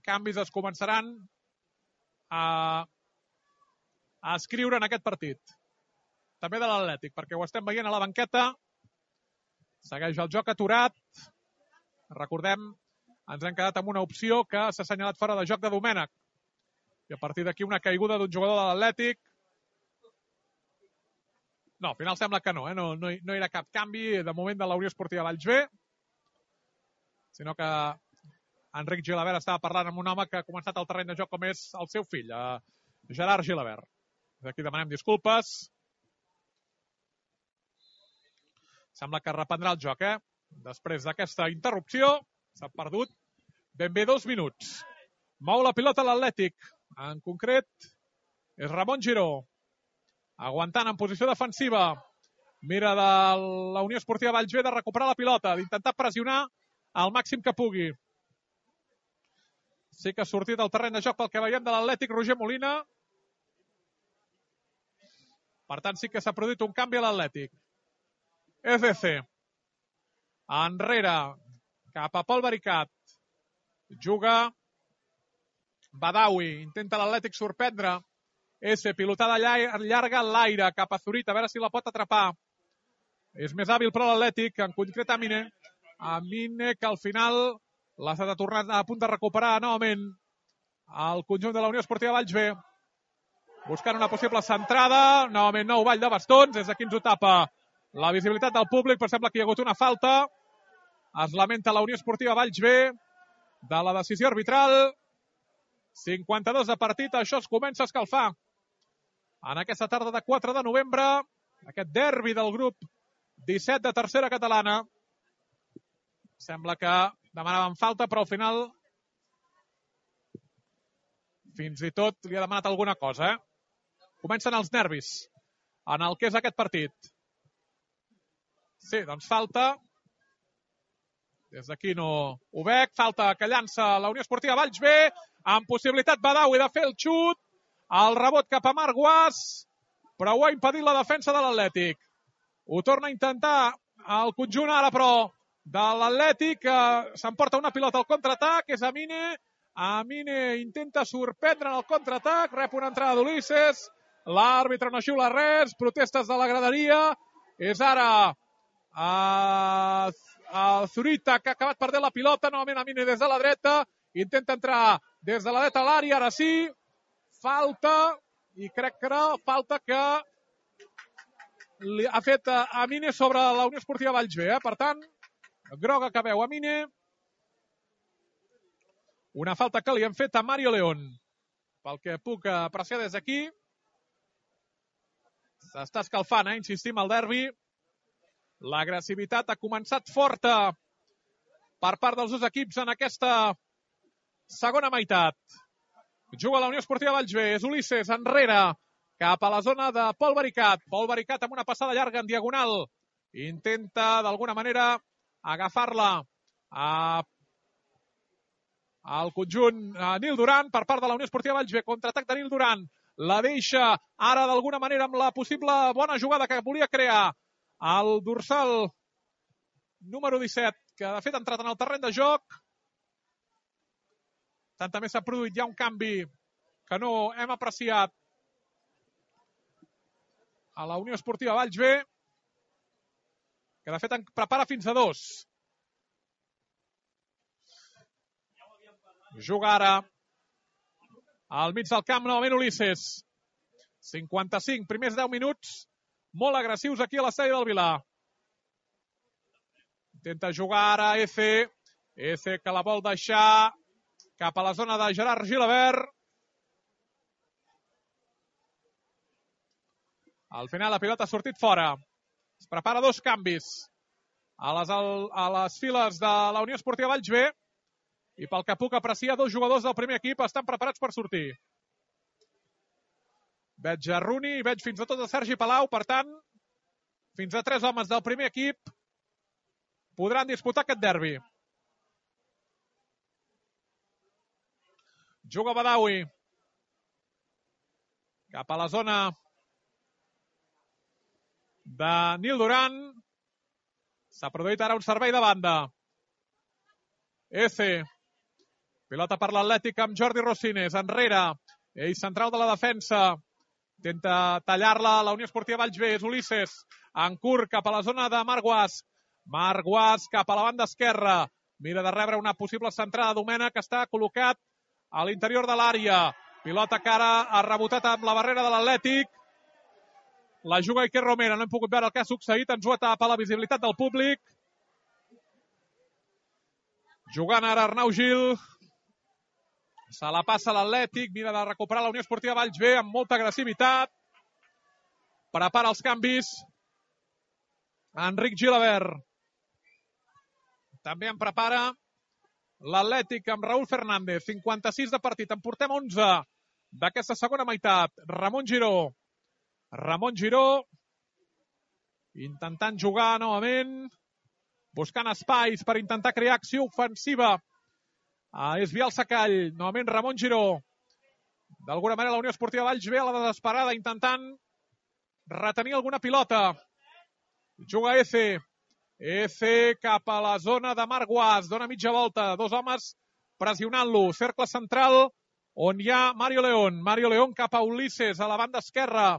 canvis es començaran a, a escriure en aquest partit. També de l'Atlètic, perquè ho estem veient a la banqueta. Segueix el joc aturat. Recordem, ens hem quedat amb una opció que s'ha assenyalat fora de joc de Domènech. I a partir d'aquí una caiguda d'un jugador de l'Atlètic. No, al final sembla que no, eh? no, no, hi, no hi ha cap canvi de moment de la Unió Esportiva Valls B, sinó que Enric Gilabert estava parlant amb un home que ha començat el terreny de joc com és el seu fill, eh, Gerard Gilabert. Aquí demanem disculpes. Sembla que reprendrà el joc, eh? Després d'aquesta interrupció, s'ha perdut ben bé dos minuts. Mou la pilota l'Atlètic. En concret, és Ramon Giró. Aguantant en posició defensiva. Mira de la Unió Esportiva Valls B de recuperar la pilota, d'intentar pressionar al màxim que pugui. Sí que ha sortit al terreny de joc pel que veiem de l'Atlètic Roger Molina. Per tant, sí que s'ha produït un canvi a l'Atlètic. F C. Enrere. Cap a Pol Baricat. Juga Badawi. Intenta l'Atlètic sorprendre. S, pilotada llarga en l'aire, cap a Zurita, a veure si la pot atrapar. És més hàbil però l'Atlètic, en concret Amine. Amine, que al final l'ha estat tornat a punt de recuperar novament el conjunt de la Unió Esportiva Valls B. Buscant una possible centrada, novament nou ball de bastons, des d'aquí ens ho tapa la visibilitat del públic, però sembla que hi ha hagut una falta. Es lamenta la Unió Esportiva Valls B de la decisió arbitral. cinquanta-dos de partit, això es comença a escalfar. En aquesta tarda de quatre de novembre, aquest derbi del grup disset de tercera catalana. Sembla que demanaven falta, però al final fins i tot li ha demanat alguna cosa. Eh? Comencen els nervis en el que és aquest partit. Sí, doncs falta. Des d'aquí no ho veig. Falta que llança la Unió Esportiva Valls B, amb possibilitat Badawi de fer el xut. El rebot cap a Marc Guas, però ho ha impedit la defensa de l'Atlètic. Ho torna a intentar el conjunt ara, però, de l'Atlètic, que s'emporta una pilota al contraatac, és Amine. Amine intenta sorprendre en el contraatac, rep una entrada d'Ulisses, l'àrbitre no xiula res, protestes de la graderia, és ara a, a Zurita, que ha acabat perdent la pilota, novament Amine des de la dreta, intenta entrar des de la dreta a l'àrea, ara sí, falta, i crec que era falta que li ha fet Amine sobre la Unió Esportiva Vallsbé, eh? Per tant, groga que veu Amine. Una falta que li han fet a Mario León. Pel que puc apreciar des d'aquí. S'està escalfant, eh? Insistim, el derbi. L'agressivitat ha començat forta per part dels dos equips en aquesta segona meitat. Juga la Unió Esportiva Vallsbé. És Ulisses enrere cap a la zona de Pol Baricat. Pol Baricat amb una passada llarga en diagonal. Intenta, d'alguna manera, agafar-la a al conjunt a Nil Duran per part de la Unió Esportiva Vallsbé. Contraatac de Nil Duran. La deixa ara d'alguna manera amb la possible bona jugada que volia crear el dorsal número disset, que de fet ha entrat en el terreny de joc. Tant també s'ha produït ja un canvi que no hem apreciat a la Unió Esportiva Vallsbé, que de fet en prepara fins a dos. Juga ara al mig del camp novament Ulisses. cinquanta-cinc, primers deu minuts, molt agressius aquí a l'estadi del Vilar. Intenta jugar ara Eze. Eze que la vol deixar cap a la zona de Gerard Gilabert. Al final la pilota ha sortit fora. Es prepara dos canvis a les, a les files de la Unió Esportiva Vallsbé. I pel que puc apreciar, dos jugadors del primer equip estan preparats per sortir. Veig a Runi i veig fins a tot a Sergi Palau. Per tant, fins a tres homes del primer equip podran disputar aquest derbi. Juga Badawi cap a la zona de Nil Duran. S'ha produït ara un servei de banda. Eze. Pilota per l'Atlètic amb Jordi Rosines. Enrere. Ell central de la defensa. Intenta tallar-la la Unió Esportiva Vallsbé. És Ulisses. En curt cap a la zona de Marc Guasc. Marc Guasc cap a la banda esquerra. Mira de rebre una possible centrada. Domènech que està col·locat a l'interior de l'àrea. Pilota que ara ha rebotat amb la barrera de l'Atlètic. La juga Iker Romera. No hem pogut veure el que ha succeït. Ens ho atapa la visibilitat del públic. Jugant ara Arnau Gil. Se la passa l'Atlètic. Mira de recuperar la Unió Esportiva Vallsbé amb molta agressivitat. Prepara els canvis Enric Gilabert. També en prepara l'Atlètic amb Raúl Fernández. cinquanta-sis de partit. En portem onze d'aquesta segona meitat. Ramon Giró. Ramon Giró intentant jugar novament, buscant espais per intentar crear acció ofensiva. Ah, és Biel Sacall. Novament Ramon Giró. D'alguna manera la Unió Esportiva Vallsbé a la desesperada intentant retenir alguna pilota. Juga Eze. Eze cap a la zona de Marc Guasc. Dona mitja volta. Dos homes pressionant-lo. Cercle central on hi ha Mario León. Mario León cap a Ulisses a la banda esquerra.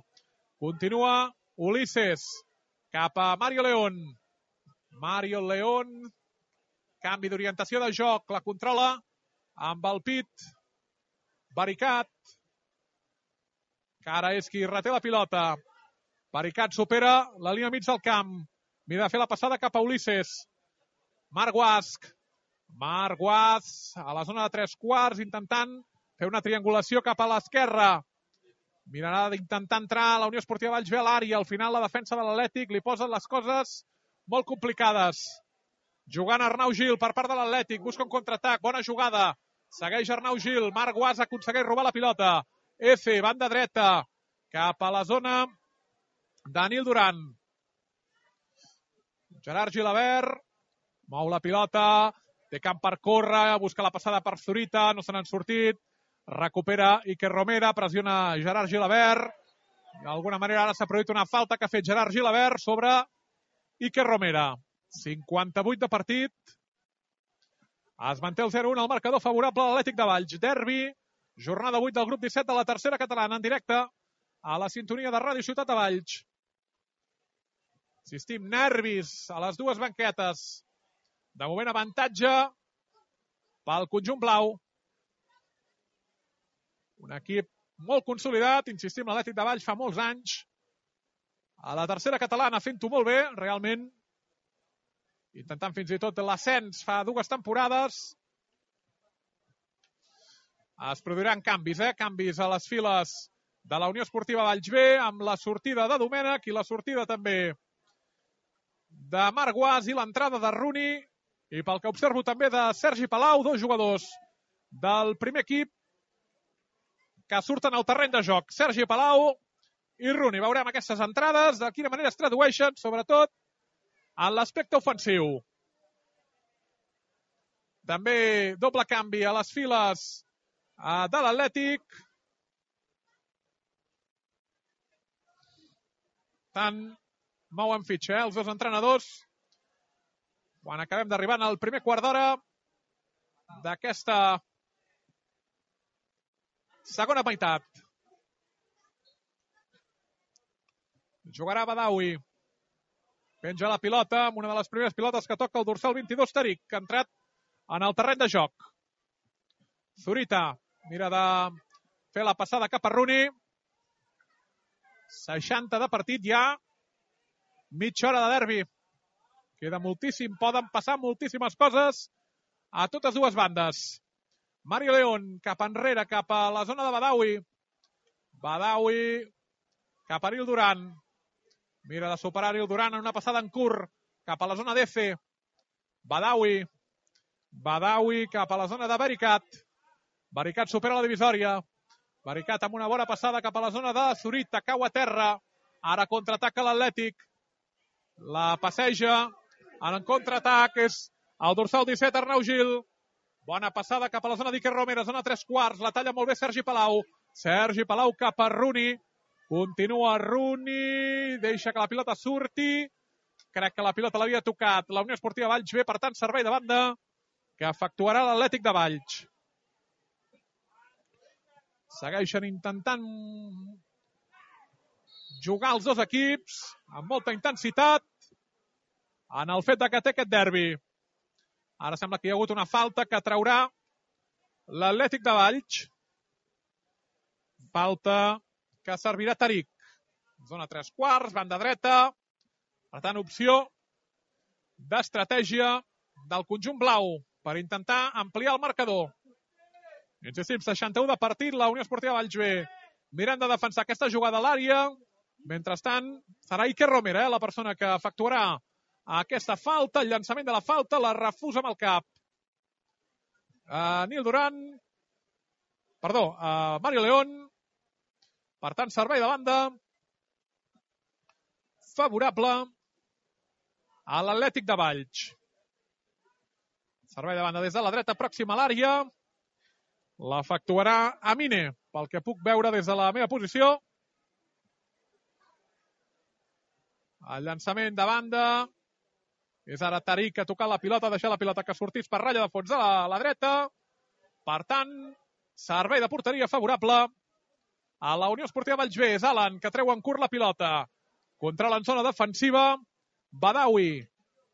Continua Ulisses cap a Mario León. Mario León. Canvi d'orientació de joc. La controla amb el pit. Baricat. Que ara és qui reté la pilota. Baricat supera la línia mig del camp. Mira de fer la passada cap a Ulisses. Marc Guasc. Marc Guasc a la zona de tres quarts intentant fer una triangulació cap a l'esquerra. Mirarà d'intentar entrar a la Unió Esportiva Vallsbé a l'àrea. Al final la defensa de l'Atlètic li posen les coses molt complicades. Jugant Arnau Gil per part de l'Atlètic. Busca un contraatac. Bona jugada. Segueix Arnau Gil. Marc Guasc aconsegueix robar la pilota. Efe, banda dreta. Cap a la zona de Nil Duran. Gerard Gilabert. Mou la pilota. Té camp per córrer. Busca la passada per Zurita. No se n'han sortit. Recupera Iker Romera. Pressiona Gerard Gilabert. D'alguna manera ara s'ha produït una falta que ha fet Gerard Gilabert sobre Iker Romera. cinquanta-vuit de partit. Es manté el zero un al marcador favorable a l'Atlètic de Valls. Derbi, jornada vuit del grup disset de la tercera catalana, en directe a la sintonia de Ràdio Ciutat de Valls. Insistim, nervis a les dues banquetes. De moment avantatge pel conjunt blau. Un equip molt consolidat, insistim, l'Atlètic de Valls fa molts anys. A la tercera catalana fent-ho molt bé, realment. Intentant fins i tot l'ascens fa dues temporades. Es produiran canvis, eh? Canvis a les files de la Unió Esportiva Valls B, amb la sortida de Domènech i la sortida també de Marc Guas i l'entrada de Rooney. I pel que observo també de Sergi Palau, dos jugadors del primer equip que surten al terreny de joc. Sergi Palau i Rooney. Veurem aquestes entrades, de quina manera es tradueixen, sobretot en l'aspecte ofensiu. També doble canvi a les files de l'Atlètic. Tant mouen fitxa, eh, els dos entrenadors. Quan acabem d'arribar al primer quart d'hora d'aquesta segona meitat. Jugarà Badawi. Penja la pilota amb una de les primeres pilotes que toca el dorsal vint-i-dos, Tariq, que ha entrat en el terreny de joc. Zurita mira de fer la passada cap a Rooney. seixanta de partit ja. Mitja hora de derbi. Queda moltíssim, poden passar moltíssimes coses a totes dues bandes. Mario León cap enrere, cap a la zona de Badawi. Badawi cap a Aril Duran. Mira de superar Aril Duran en una passada en curt cap a la zona d'E C. Badawi. Badawi cap a la zona de Baricat. Baricat supera la divisòria. Baricat amb una bona passada cap a la zona de Zurita. Cau a terra. Ara contraataca l'Atlètic. La passeja. En contraatac és el dorsal disset, Arnau Gil. Bona passada cap a la zona d'Iker Romera. Zona tres quarts. La talla molt bé Sergi Palau. Sergi Palau cap a Rooney. Continua Rooney. Deixa que la pilota surti. Crec que la pilota l'havia tocat la Unió Esportiva Valls B. Per tant, servei de banda que efectuarà l'Atlètic de Valls. Segueixen intentant jugar els dos equips amb molta intensitat en el fet que té aquest derbi. Ara sembla que hi ha hagut una falta que traurà l'Atlètic de Valls. Falta que servirà Tariq. Zona tres quarts, banda dreta. Per tant, opció d'estratègia del conjunt blau per intentar ampliar el marcador. Insistim, seixanta-u de partit, la Unió Esportiva Valls B mirant de defensar aquesta jugada a l'àrea. Mentrestant, serà Iker Romera, eh, la persona que efectuarà aquesta falta, el llançament de la falta, la refusa amb el cap. Uh, Nil Duran, perdó, uh, Mario León. Per tant, servei de banda favorable a l'Atlètic de Valls. Servei de banda des de la dreta, pròxima a l'àrea. L'efectuarà Amine, pel que puc veure des de la meva posició. El llançament de banda. És ara Tariq que ha tocat la pilota, ha deixat la pilota que sortís per ratlla de fons de la, la dreta. Per tant, servei de porteria favorable a la Unió Esportiva Valls B. És Alan que treu en curt la pilota. Controla en zona defensiva. Badawi.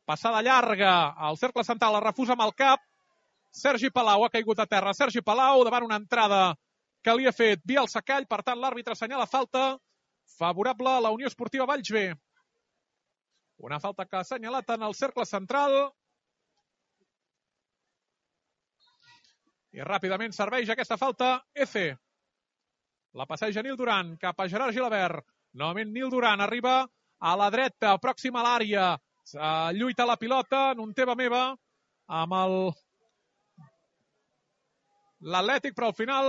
Passada llarga al cercle central, la refusa amb el cap. Sergi Palau ha caigut a terra. Sergi Palau davant una entrada que li ha fet via el secall. Per tant, l'àrbitre assenyala falta favorable a la Unió Esportiva Valls B. Una falta que ha assenyalat en el cercle central. I ràpidament serveix aquesta falta E C. La passeja Nil Duran cap a Gerard Gilabert. Novament Nil Duran arriba a la dreta, pròxima a l'àrea. Uh, lluita la pilota en un teva-meva amb el l'Atlètic, però al final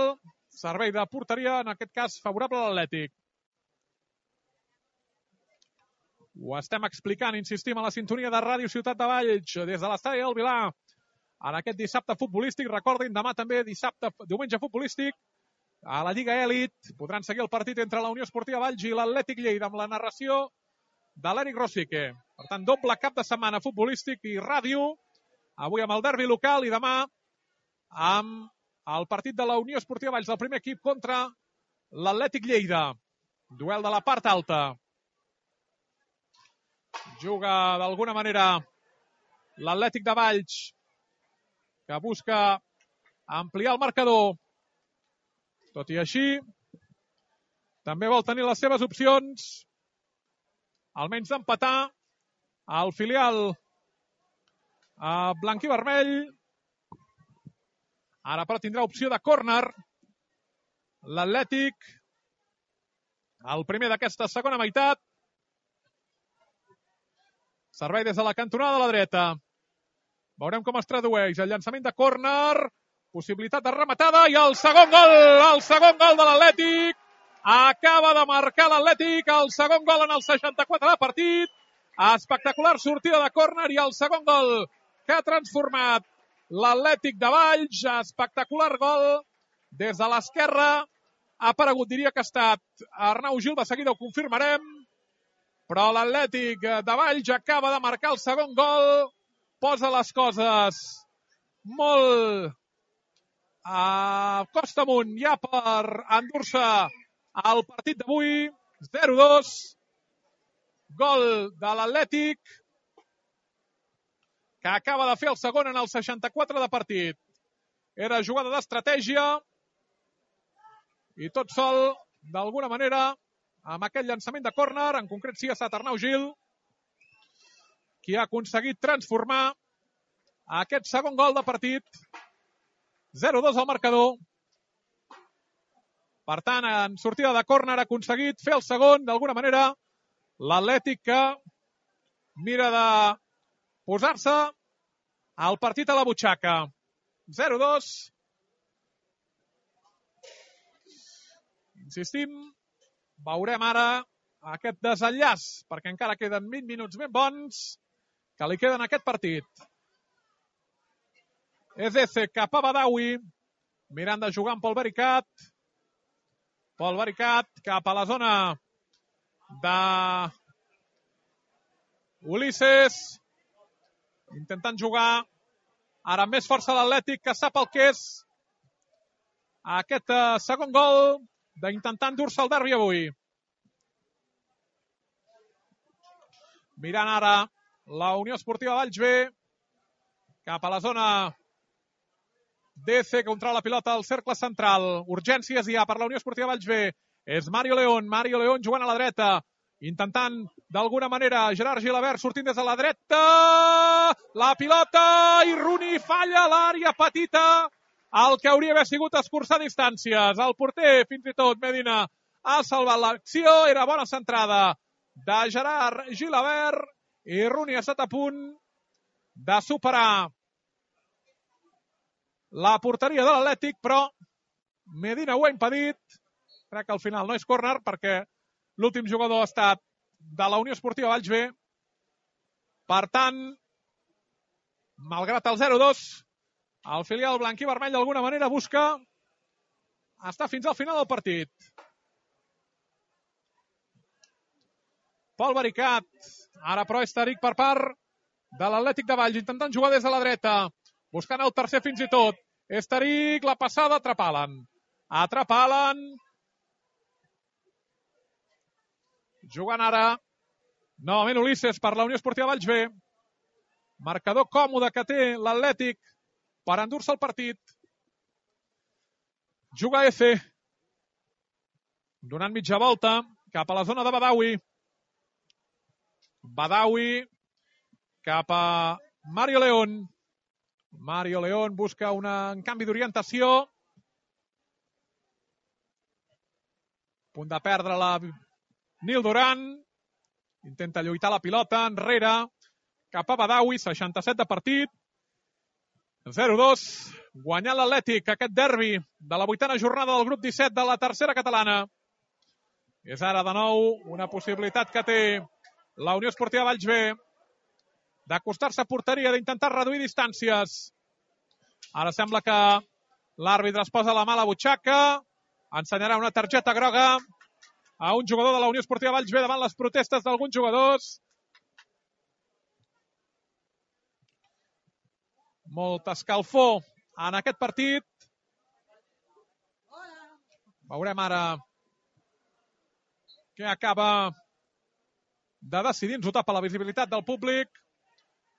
servei de porteria, en aquest cas favorable a l'Atlètic. Ho estem explicant, insistim, a la sintonia de Ràdio Ciutat de Valls, des de l'estadi del Vilà, en aquest dissabte futbolístic. Recordin, demà també dissabte, diumenge futbolístic, a la Lliga Elit. Podran seguir el partit entre la Unió Esportiva Valls i l'Atlètic Lleida, amb la narració de l'Eric Rosique. Per tant, doble cap de setmana futbolístic i ràdio, avui amb el derbi local i demà amb el partit de la Unió Esportiva Valls del primer equip contra l'Atlètic Lleida. Duel de la part alta. Juga d'alguna manera l'Atlètic de Valls, que busca ampliar el marcador. Tot i així, també vol tenir les seves opcions, almenys d'empatar el filial a blanc i vermell. Ara però tindrà opció de córner l'Atlètic, el primer d'aquesta segona meitat. Servei des de la cantonada de la dreta. Veurem com es tradueix el llançament de córner, possibilitat de rematada i el segon gol, el segon gol de l'Atlètic. Acaba de marcar l'Atlètic el segon gol en el seixanta-quatre de partit. Espectacular sortida de córner i el segon gol que ha transformat l'Atlètic de Valls. Espectacular gol des de l'esquerra. Ha aparegut, diria que ha estat Arnau Gil, de seguida ho confirmarem. Però l'Atlètic de Valls acaba de marcar el segon gol. Posa les coses molt a costa amunt ja per endur-se el partit d'avui. zero dos. Gol de l'Atlètic, que acaba de fer el segon en el seixanta-quatre de partit. Era jugada d'estratègia i tot sol, d'alguna manera, amb aquest llançament de córner, en concret sí ha estat Arnau Gil, qui ha aconseguit transformar aquest segon gol de partit. zero dos al marcador. Per tant, en sortida de córner ha aconseguit fer el segon, d'alguna manera, l'Atlètic que mira de posar-se el partit a la butxaca. zero dos. Insistim, veurem ara aquest desenllaç, perquè encara queden vint minuts ben bons que li queden a aquest partit. Ezeze cap a Badawi, mirant de jugar amb Pol Vericat. Pol Vericat cap a la zona de Ulisses, intentant jugar ara amb més força l'Atlètic, que sap el que és aquest uh, segon gol d'intentar endur-se el derbi avui. Mirant ara la Unió Esportiva Valls B, cap a la zona D C, contra la pilota al cercle central. Urgències ja per la Unió Esportiva Valls B. És Mario León. Mario León jugant a la dreta, intentant d'alguna manera Gerard Gilabert sortint des de la dreta. La pilota i Rooney falla a l'àrea petita, el que hauria d'haver sigut escurçar distàncies. El porter, fins i tot, Medina, ha salvat l'acció. Era bona centrada de Gerard Gilabert i Rooney ha estat a punt de superar la porteria de l'Atlètic, però Medina ho ha impedit. Crec que al final no és córner perquè l'últim jugador ha estat de la Unió Esportiva Valls B. Per tant, malgrat el zero dos, el filial blanc i vermell d'alguna manera busca estar fins al final del partit. Pol Vericat, ara però és Taric per part de l'Atlètic de Valls, intentant jugar des de la dreta, buscant el tercer fins i tot. És Taric, la passada, atrapalen. Atrapalen. Jugant ara novament Ulisses per la Unió Esportiva Valls B. Marcador còmode que té l'Atlètic per endur-se el partit. Juga Eze. Donant mitja volta cap a la zona de Badawi. Badawi cap a Mario León. Mario León busca un canvi d'orientació. Punt de perdre la Nil Duran. Intenta lluitar la pilota enrere cap a Badawi. seixanta-set de partit. zero dos. Guanyant l'Atlètic aquest derbi de la vuitena jornada del grup disset de la tercera catalana. És ara de nou una possibilitat que té la Unió Esportiva Valls B d'acostar-se a porteria, d'intentar reduir distàncies. Ara sembla que l'àrbitre es posa la mà a la butxaca, ensenyarà una targeta groga a un jugador de la Unió Esportiva Valls B davant les protestes d'alguns jugadors. Molta escalfor en aquest partit. Veurem ara què acaba de decidir. Ens ho tapa la visibilitat del públic.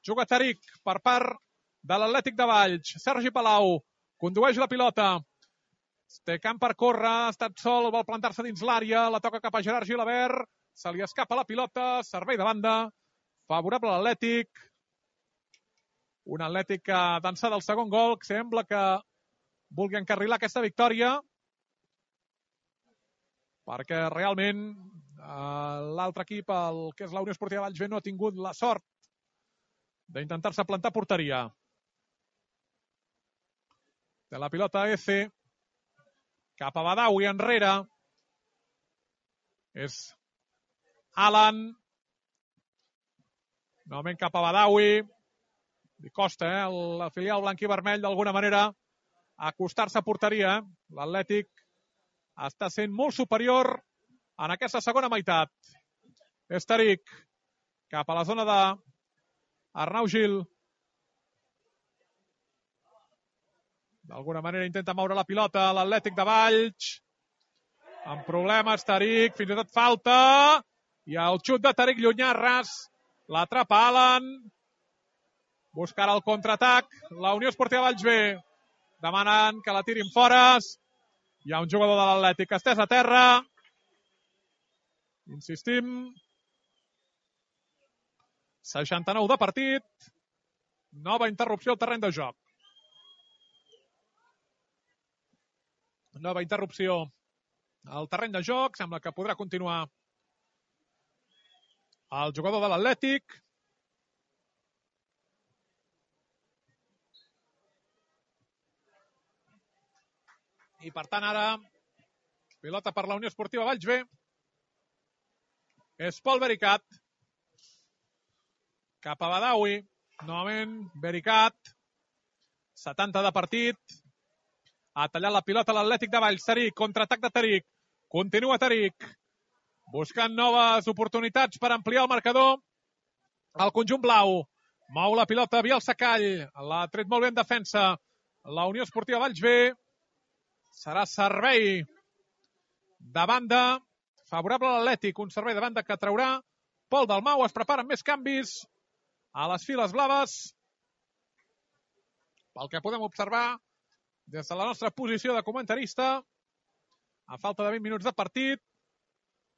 Juga Taric per part de l'Atlètic de Valls. Sergi Palau condueix la pilota. Té camp per córrer, ha estat sol, vol plantar-se dins l'àrea, la toca cap a Gerard Gilabert, se li escapa la pilota, servei de banda, favorable a l'Atlètic. Un Atlètic que d'ençà del segon gol, que sembla que vulgui encarrilar aquesta victòria, perquè realment eh, l'altre equip, el que és la Unió Esportiva Valls B, no ha tingut la sort d'intentar-se plantar porteria. De la pilota F, cap a Badawi, enrere. És Alan. Novament cap a Badawi. Li costa, eh, la filial blanc i vermell, d'alguna manera, acostar-se a porteria. Eh? L'Atlètic està sent molt superior en aquesta segona meitat. És Taric cap a la zona de Arnau Gil. D'alguna manera intenta moure la pilota l'Atlètic de Valls. Amb problemes, Taric, fins i tot falta. I el xut de Taric llunyà, ras. L'atrapa Alan. Busca ara el contraatac. La Unió Esportiva Valls B demanant que la tirin fora. Hi ha un jugador de l'Atlètic estès a terra. Insistim. seixanta-nou de partit. Nova interrupció al terreny de joc. Nova interrupció al terreny de joc. Sembla que podrà continuar el jugador de l'Atlètic. I per tant ara pilota per la Unió Esportiva Valls B. És Pol Vericat. Cap a Badawi. Novament Vericat. setanta de partit. Ha tallat la pilota l'Atlètic de Valls. Taric, contraatac de Taric. Continua Taric. Buscant noves oportunitats per ampliar el marcador. El conjunt blau. Mou la pilota Biel Sacall. L'ha tret molt bé en defensa. La Unió Esportiva Valls B. Serà servei de banda. Favorable a l'Atlètic. Un servei de banda que traurà Pol Dalmau. Es preparen més canvis a les files blaves. Pel que podem observar des de la nostra posició de comentarista, a falta de vint minuts de partit,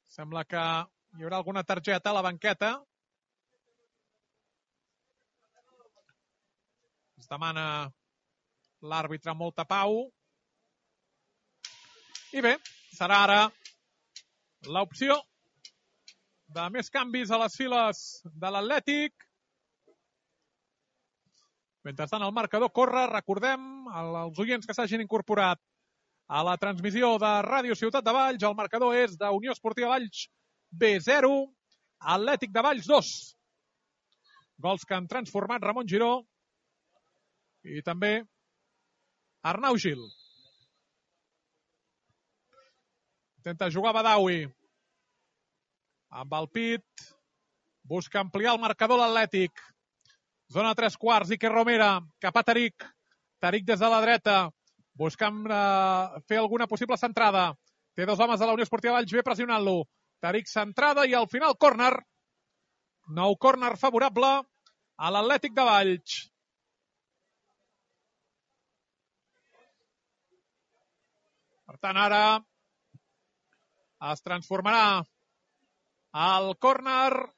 sembla que hi haurà alguna targeta a la banqueta. Es demana l'àrbitre molta pau. I bé, serà ara l'opció de més canvis a les files de l'Atlètic. Mentrestant el marcador corre, recordem als oients que s'hagin incorporat a la transmissió de Ràdio Ciutat de Valls, el marcador és de Unió Esportiva Valls B zero, Atlètic de Valls dos. Gols que han transformat Ramon Giró i també Arnau Gil. Intenta jugar Badawi. Amb el pit. Busca ampliar el marcador l'Atlètic. Zona tres quarts, Iker Romera, cap a Taric. Taric des de la dreta, buscant eh, fer alguna possible centrada. Té dos homes de la Unió Esportiva Valls B pressionant-lo. Taric centrada i al final córner. Nou córner favorable a l'Atlètic de Valls. Per tant, ara es transformarà el córner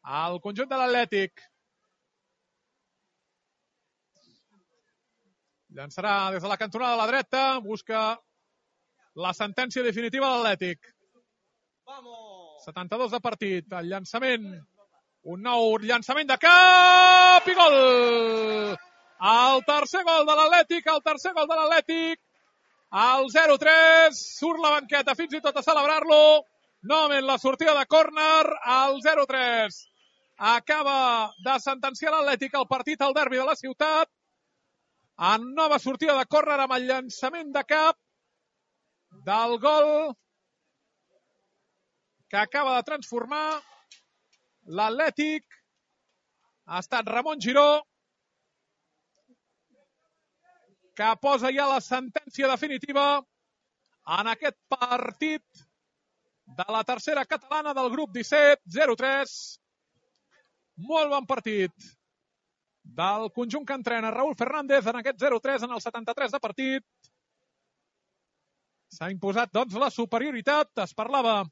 al conjunt de l'Atlètic. Llançarà des de la cantonada de la dreta, busca la sentència definitiva de l'Atlètic. setanta-dos de partit, el llançament, un nou llançament de cap i gol! El tercer gol de l'Atlètic, el tercer gol de l'Atlètic, al zero tres, surt la banqueta fins i tot a celebrar-lo. Novament la sortida de córner al zero tres. Acaba de sentenciar l'Atlètic el partit al derbi de la ciutat. En nova sortida de córner amb el llançament de cap del gol que acaba de transformar l'Atlètic ha estat Ramon Giró, que posa ja la sentència definitiva en aquest partit de la tercera catalana del grup disset, zero tres. Molt bon partit del conjunt que entrena Raúl Fernández en aquest zero tres en el setanta-tres de partit. S'ha imposat, doncs, la superioritat. Es parlava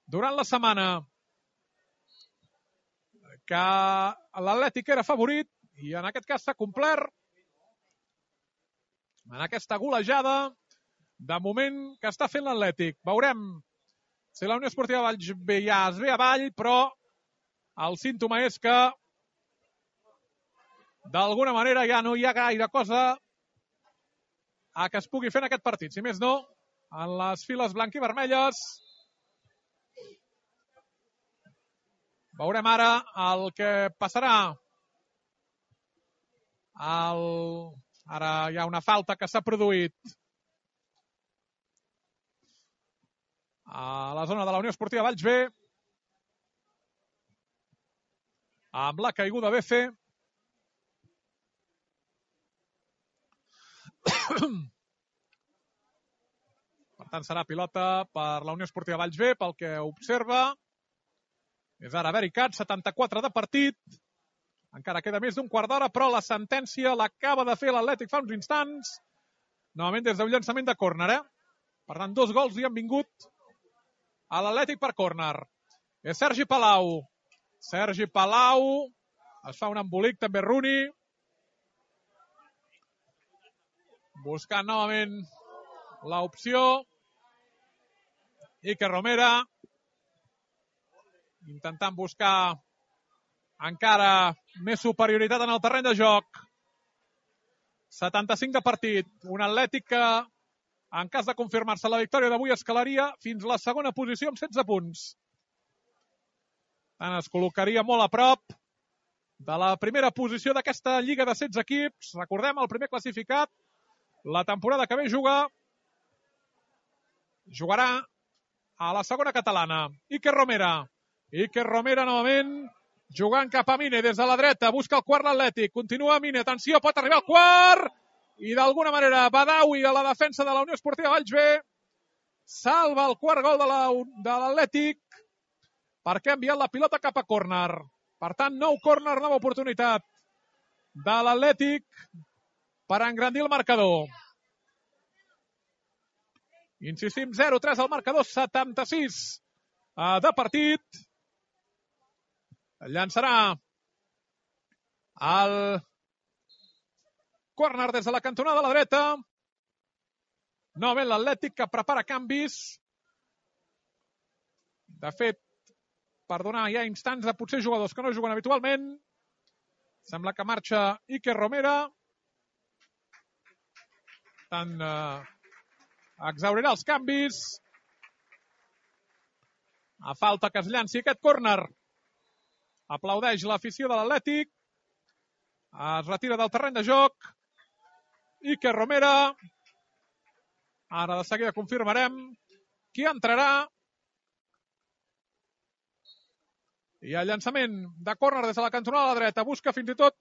durant la setmana que l'Atlètic era favorit i en aquest cas s'ha complert en aquesta golejada de moment que està fent l'Atlètic. Veurem si la Unió Esportiva Valls B ja es ve avall, però el símptoma és que d'alguna manera ja no hi ha gaire cosa a que es pugui fer en aquest partit. Si més no, en les files blanquivermelles. Veurem ara el que passarà. El... Ara hi ha una falta que s'ha produït a la zona de la Unió Esportiva Valls B amb la caiguda B C. Per tant, serà pilota per la Unió Esportiva Valls B, pel que observa. És ara Vericat, setanta-quatre de partit. Encara queda més d'un quart d'hora, però la sentència l'acaba de fer l'Atlètic fa uns instants. Novament des d'un llançament de córner, eh? Per tant, dos gols li han vingut a l'Atlètic per córner. És Sergi Palau. Sergi Palau. Es fa un embolic, també Rooney. Buscant novament l'opció. Iker Romera. Intentant buscar encara més superioritat en el terreny de joc. setanta-cinc de partit. Un Atlètic que, en cas de confirmar-se la victòria d'avui, escalaria fins la segona posició amb setze punts. Tant es col·locaria molt a prop de la primera posició d'aquesta lliga de setze equips. Recordem, el primer classificat, la temporada que ve juga, jugarà a la segona catalana. Iker Romera. Iker Romera novament jugant cap a Mine des de la dreta. Busca el quart l'Atlètic. Continua Mine. Atenció, pot arribar al quart. I d'alguna manera Badawi a la defensa de la Unió Esportiva Valls B salva el quart gol de l'Atlètic perquè ha enviat la pilota cap a córner. Per tant, nou córner, nova oportunitat de l'Atlètic per engrandir el marcador. Insistim, zero tres al marcador, setanta-sis de partit. Llançarà el córner des de la cantonada a la dreta. Novament l'Atlètic que prepara canvis. De fet, per donar ja instants de potser jugadors que no juguen habitualment. Sembla que marxa Iker Romera. Tant eh, exaurirà els canvis. A falta que es llanci aquest córner. Aplaudeix l'afició de l'Atlètic. Es retira del terreny de joc. Iker Romera. Ara de seguida confirmarem qui entrarà. I el llançament de córner des de la cantonada a la dreta. Busca fins i tot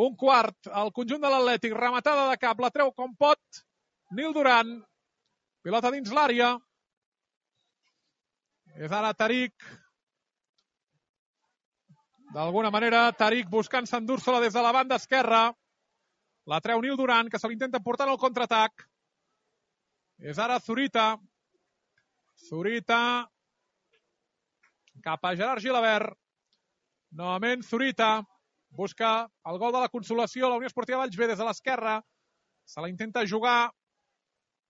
un quart. El conjunt de l'Atlètic. Rematada de cap. La treu com pot Nil Duran. Pilota dins l'àrea. És ara Tariq. D'alguna manera, Tariq buscant s'endur-se-la des de la banda esquerra. La treu Nil Duran, que se l'intenta portar al contraatac. És ara Zurita. Zurita. Cap a Gerard Gilabert. Novament Zurita. Busca el gol de la consolació. La Unió Esportiva Valls B des de l'esquerra. Se la intenta jugar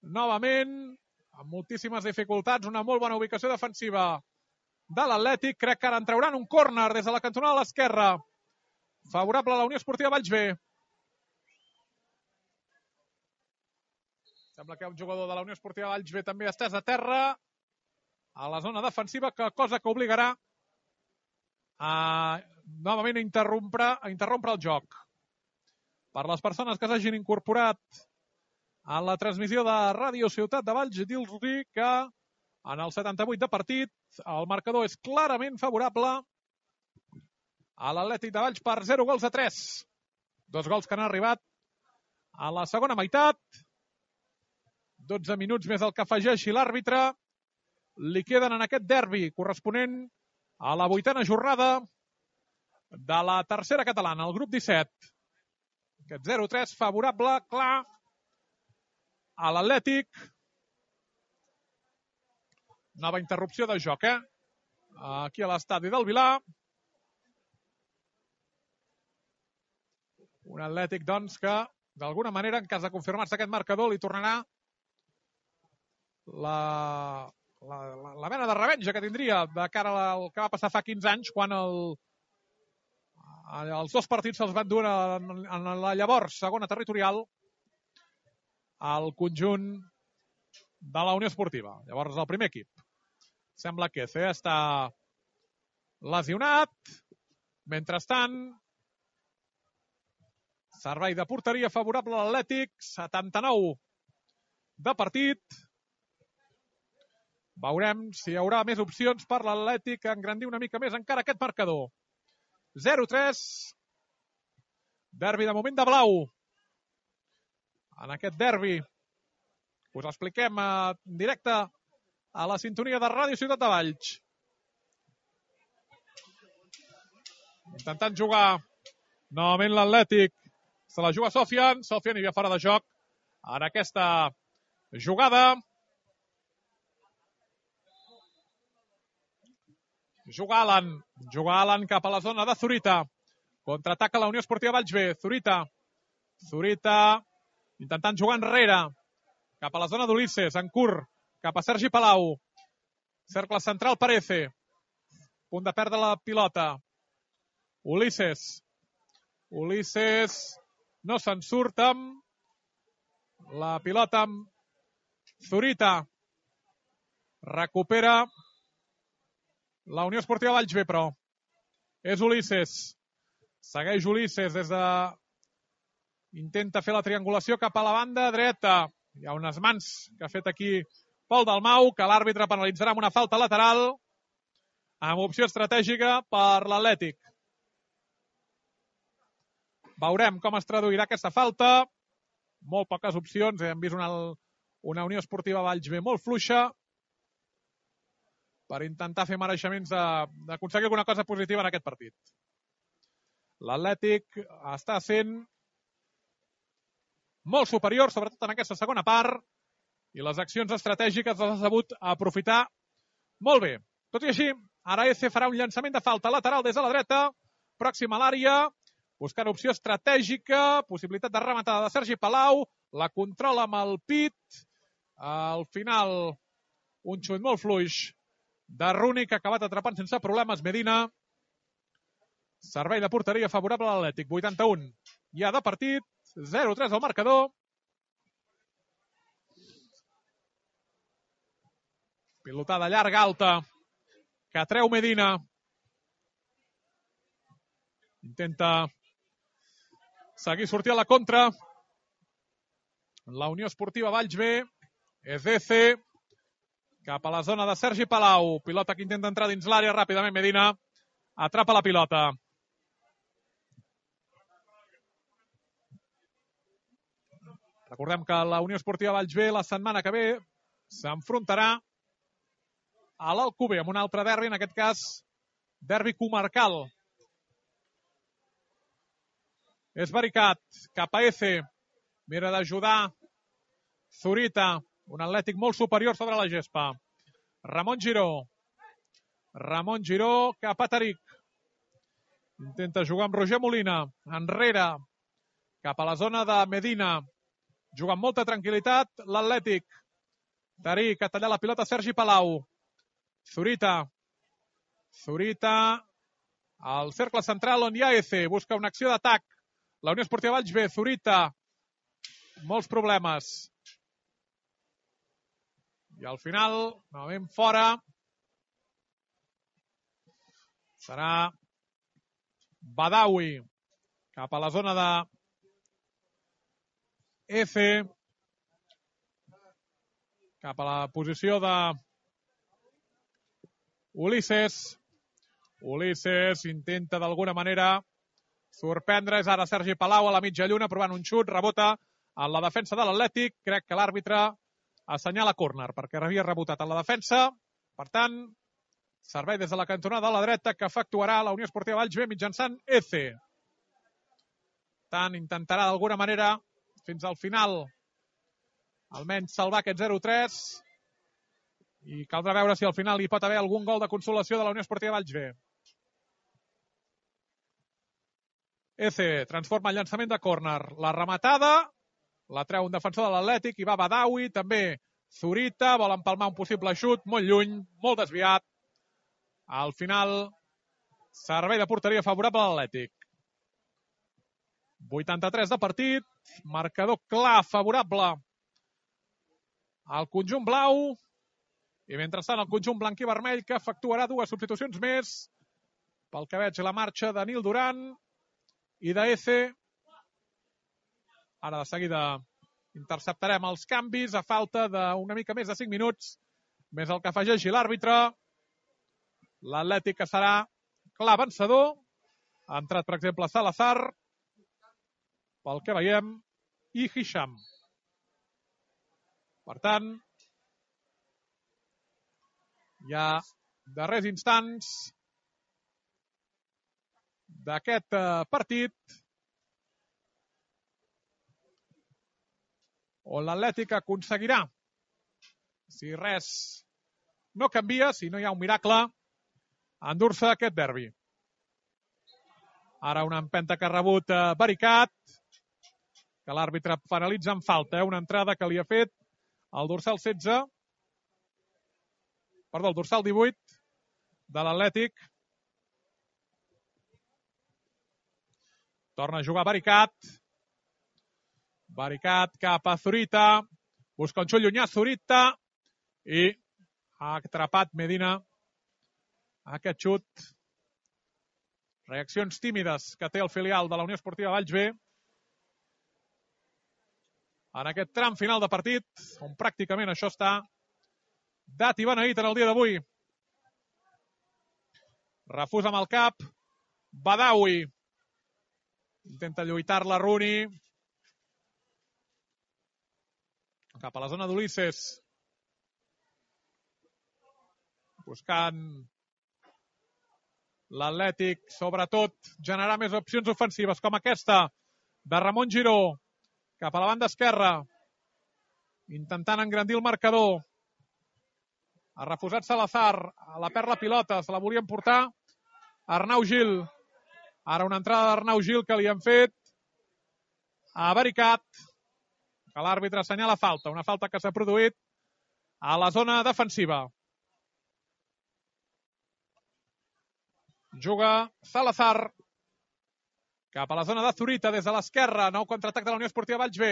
novament. Amb moltíssimes dificultats. Una molt bona ubicació defensiva de l'Atlètic. Crec que ara en trauran un córner des de la cantonada a l'esquerra. Favorable a la Unió Esportiva Valls B. Sembla que hi ha un jugador de la Unió Esportiva Valls B també estès a terra a la zona defensiva, que cosa que obligarà a novament a interrompre, a interrompre el joc. Per les persones que s'hagin incorporat en la transmissió de Ràdio Ciutat de Valls, dir-li que en el setanta-vuit de partit el marcador és clarament favorable a l'Atlètic de Valls per zero gols a tres. Dos gols que han arribat a la segona meitat. dotze minuts més el que afegeixi l'àrbitre. Li queden en aquest derbi corresponent a la vuitena jornada de la tercera catalana, el grup disset. Aquest zero tres favorable, clar, a l'Atlètic. Nova interrupció de joc, eh? Aquí a l'estadi del Vilar. Un Atlètic, doncs, que d'alguna manera, en cas de confirmar-se aquest marcador, li tornarà la, la, la, la mena de revenja que tindria de cara al que va passar fa quinze anys, quan el, els dos partits se'ls van dur en, en la llavors segona territorial al conjunt de la Unió Esportiva. Llavors, el primer equip. Sembla que Eze està lesionat. Mentrestant, servei de porteria favorable a l'Atlètic, setanta-nou de partit. Veurem si hi haurà més opcions per l'Atlètic a engrandir una mica més encara aquest marcador. zero tres. Derbi de moment de blau. En aquest derbi us expliquem en directe a la sintonia de Ràdio Ciutat de Valls. Intentant jugar novament l'Atlètic. Se la juga Sofian. Sofian hi havia fora de joc en aquesta jugada. Juga Alan. Juga Alan cap a la zona de Zurita. Contraataca la Unió Esportiva Valls B. Zurita. Zurita intentant jugar enrere. Cap a la zona d'Ulisses. En curt. Cap a Sergi Palau. Cercle central per Eze. Punt de perdre la pilota. Ulisses. Ulisses no se'n surt amb la pilota amb Zurita. Recupera la Unió Esportiva Valls B, però és Ulisses. Segueix Ulisses des de... Intenta fer la triangulació cap a la banda dreta. Hi ha unes mans que ha fet aquí Pol Dalmau, que l'àrbitre penalitzarà amb una falta lateral amb opció estratègica per l'Atlètic. Veurem com es traduirà aquesta falta. Molt poques opcions. Hem vist una, una Unió Esportiva Valls B molt fluixa per intentar fer mereixements d'aconseguir alguna cosa positiva en aquest partit. L'Atlètic està sent molt superior, sobretot en aquesta segona part, i les accions estratègiques les ha sabut aprofitar molt bé. Tot i així, ara Eze farà un llançament de falta lateral des de la dreta, pròxima a l'àrea, buscant opció estratègica, possibilitat de rematada de Sergi Palau, la controla amb el pit, al final un xut molt fluix de Runi, que ha acabat atrapant sense problemes Medina. Servei de porteria favorable a l'Atlètic, vuitanta-un. Ja de partit, zero tres al marcador. Pilotada llarga, alta, que treu Medina. Intenta seguir sortir a la contra. La Unió Esportiva Valls B. És Eze. Cap a la zona de Sergi Palau. Pilota que intenta entrar dins l'àrea ràpidament. Medina atrapa la pilota. Recordem que la Unió Esportiva Valls B la setmana que ve s'enfrontarà a l'Alcover amb un altre derbi, en aquest cas derbi comarcal. És Baricat, cap a Eze. Mira d'ajudar Zurita. Un Atlètic molt superior sobre la gespa. Ramon Giró. Ramon Giró cap a Taric. Intenta jugar amb Roger Molina. Enrere. Cap a la zona de Medina. Juga amb molta tranquil·litat l'Atlètic. Taric ha tallat la pilota Sergi Palau. Zurita. Zurita. Al cercle central on hi ha Eze. Busca una acció d'atac. La Unió Esportiva Valls B. Zurita. Molts problemes. I al final, novament fora, serà Badawi cap a la zona de Eze. cap a la posició de Ulisses. Ulisses intenta d'alguna manera sorprendre. És ara Sergi Palau a la mitja lluna provant un xut. Rebota en la defensa de l'Atlètic. Crec que l'àrbitre assenyala córner perquè havia rebotat en la defensa. Per tant, servei des de la cantonada de la dreta que efectuarà la Unió Esportiva Valls B mitjançant Eze. Tant intentarà d'alguna manera fins al final almenys salvar aquest zero tres i caldrà veure si al final hi pot haver algun gol de consolació de la Unió Esportiva Valls B. Eze transforma el llançament de córner. La rematada la treu un defensor de l'Atlètic i va Badawi, també Zurita, vol empalmar un possible xut, molt lluny, molt desviat. Al final, servei de porteria favorable a l'Atlètic. vuitanta-tres de partit, marcador clar, favorable al conjunt blau, i mentrestant el conjunt blanc i vermell que efectuarà dues substitucions més. Pel que veig, la marxa de Nil Duran i d'Eze. Ara de seguida interceptarem els canvis a falta d'una mica més de cinc minuts, més el que afegeixi l'àrbitre. L'Atlètic que serà clar vencedor. Ha entrat, per exemple, Salazar, pel que veiem, i Hisham. Per tant, hi ha darrers instants d'aquest partit on l'Atlètic aconseguirà, si res no canvia, si no hi ha un miracle, endur-se aquest derbi. Ara una empenta que ha rebut Baricat, que l'àrbitre penalitza en falta, eh? Una entrada que li ha fet el dorsal setze, perdó, el dorsal divuit de l'Atlètic. Torna a jugar Baricat. Baricat cap a Zurita. Busca un xut llunyà Zurita. I ha atrapat Medina aquest xut. Reaccions tímides que té el filial de la Unió Esportiva Valls B. En aquest tram final de partit, on pràcticament això està dat i beneït en el dia d'avui. Refusa amb el cap. Badawi. Intenta lluitar-la Rooney. Cap a la zona d'Ulisses. Buscant l'Atlètic, sobretot, generar més opcions ofensives, com aquesta de Ramon Giró. Cap a la banda esquerra. Intentant engrandir el marcador. Ha refusat Salazar. A la perd la pilota. Se la volien portar Arnau Gil. Ara una entrada d'Arnau Gil que li han fet a Baricat. Que l'àrbitre assenyala falta. Una falta que s'ha produït a la zona defensiva. Juga Salazar. Cap a la zona de Zurita des de l'esquerra. Nou contraatac de la Unió Esportiva Valls B.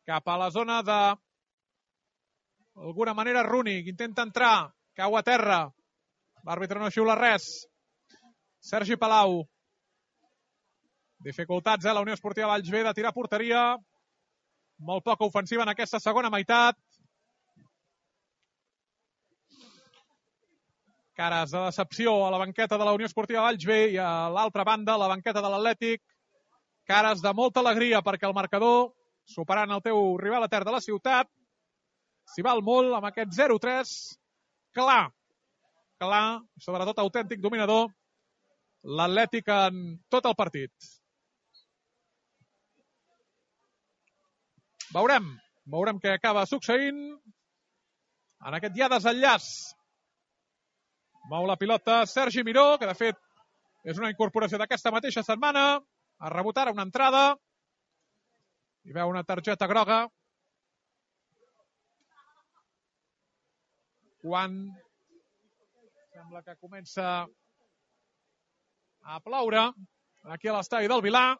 Cap a la zona de d'alguna manera Rooney. Intenta entrar. Cau a terra. L'àrbitre no xiula res. Sergi Palau. Dificultats, eh? La Unió Esportiva Valls B de tirar porteria. Molt poca ofensiva en aquesta segona meitat. Cares de decepció a la banqueta de la Unió Esportiva Valls B i a l'altra banda, la banqueta de l'Atlètic. Cares de molta alegria perquè el marcador, superant el teu rival etern de la ciutat, s'hi val molt amb aquest zero tres. Clar, clar, sobretot autèntic dominador, l'Atlètic en tot el partit. Veurem, veurem què acaba succeint en aquest ja desenllaç. Mou la pilota Sergi Miró, que de fet és una incorporació d'aquesta mateixa setmana. Ha rebut ara una entrada. Hi veu una targeta groga. Quan sembla que comença a ploure aquí a l'estadi del Vilar.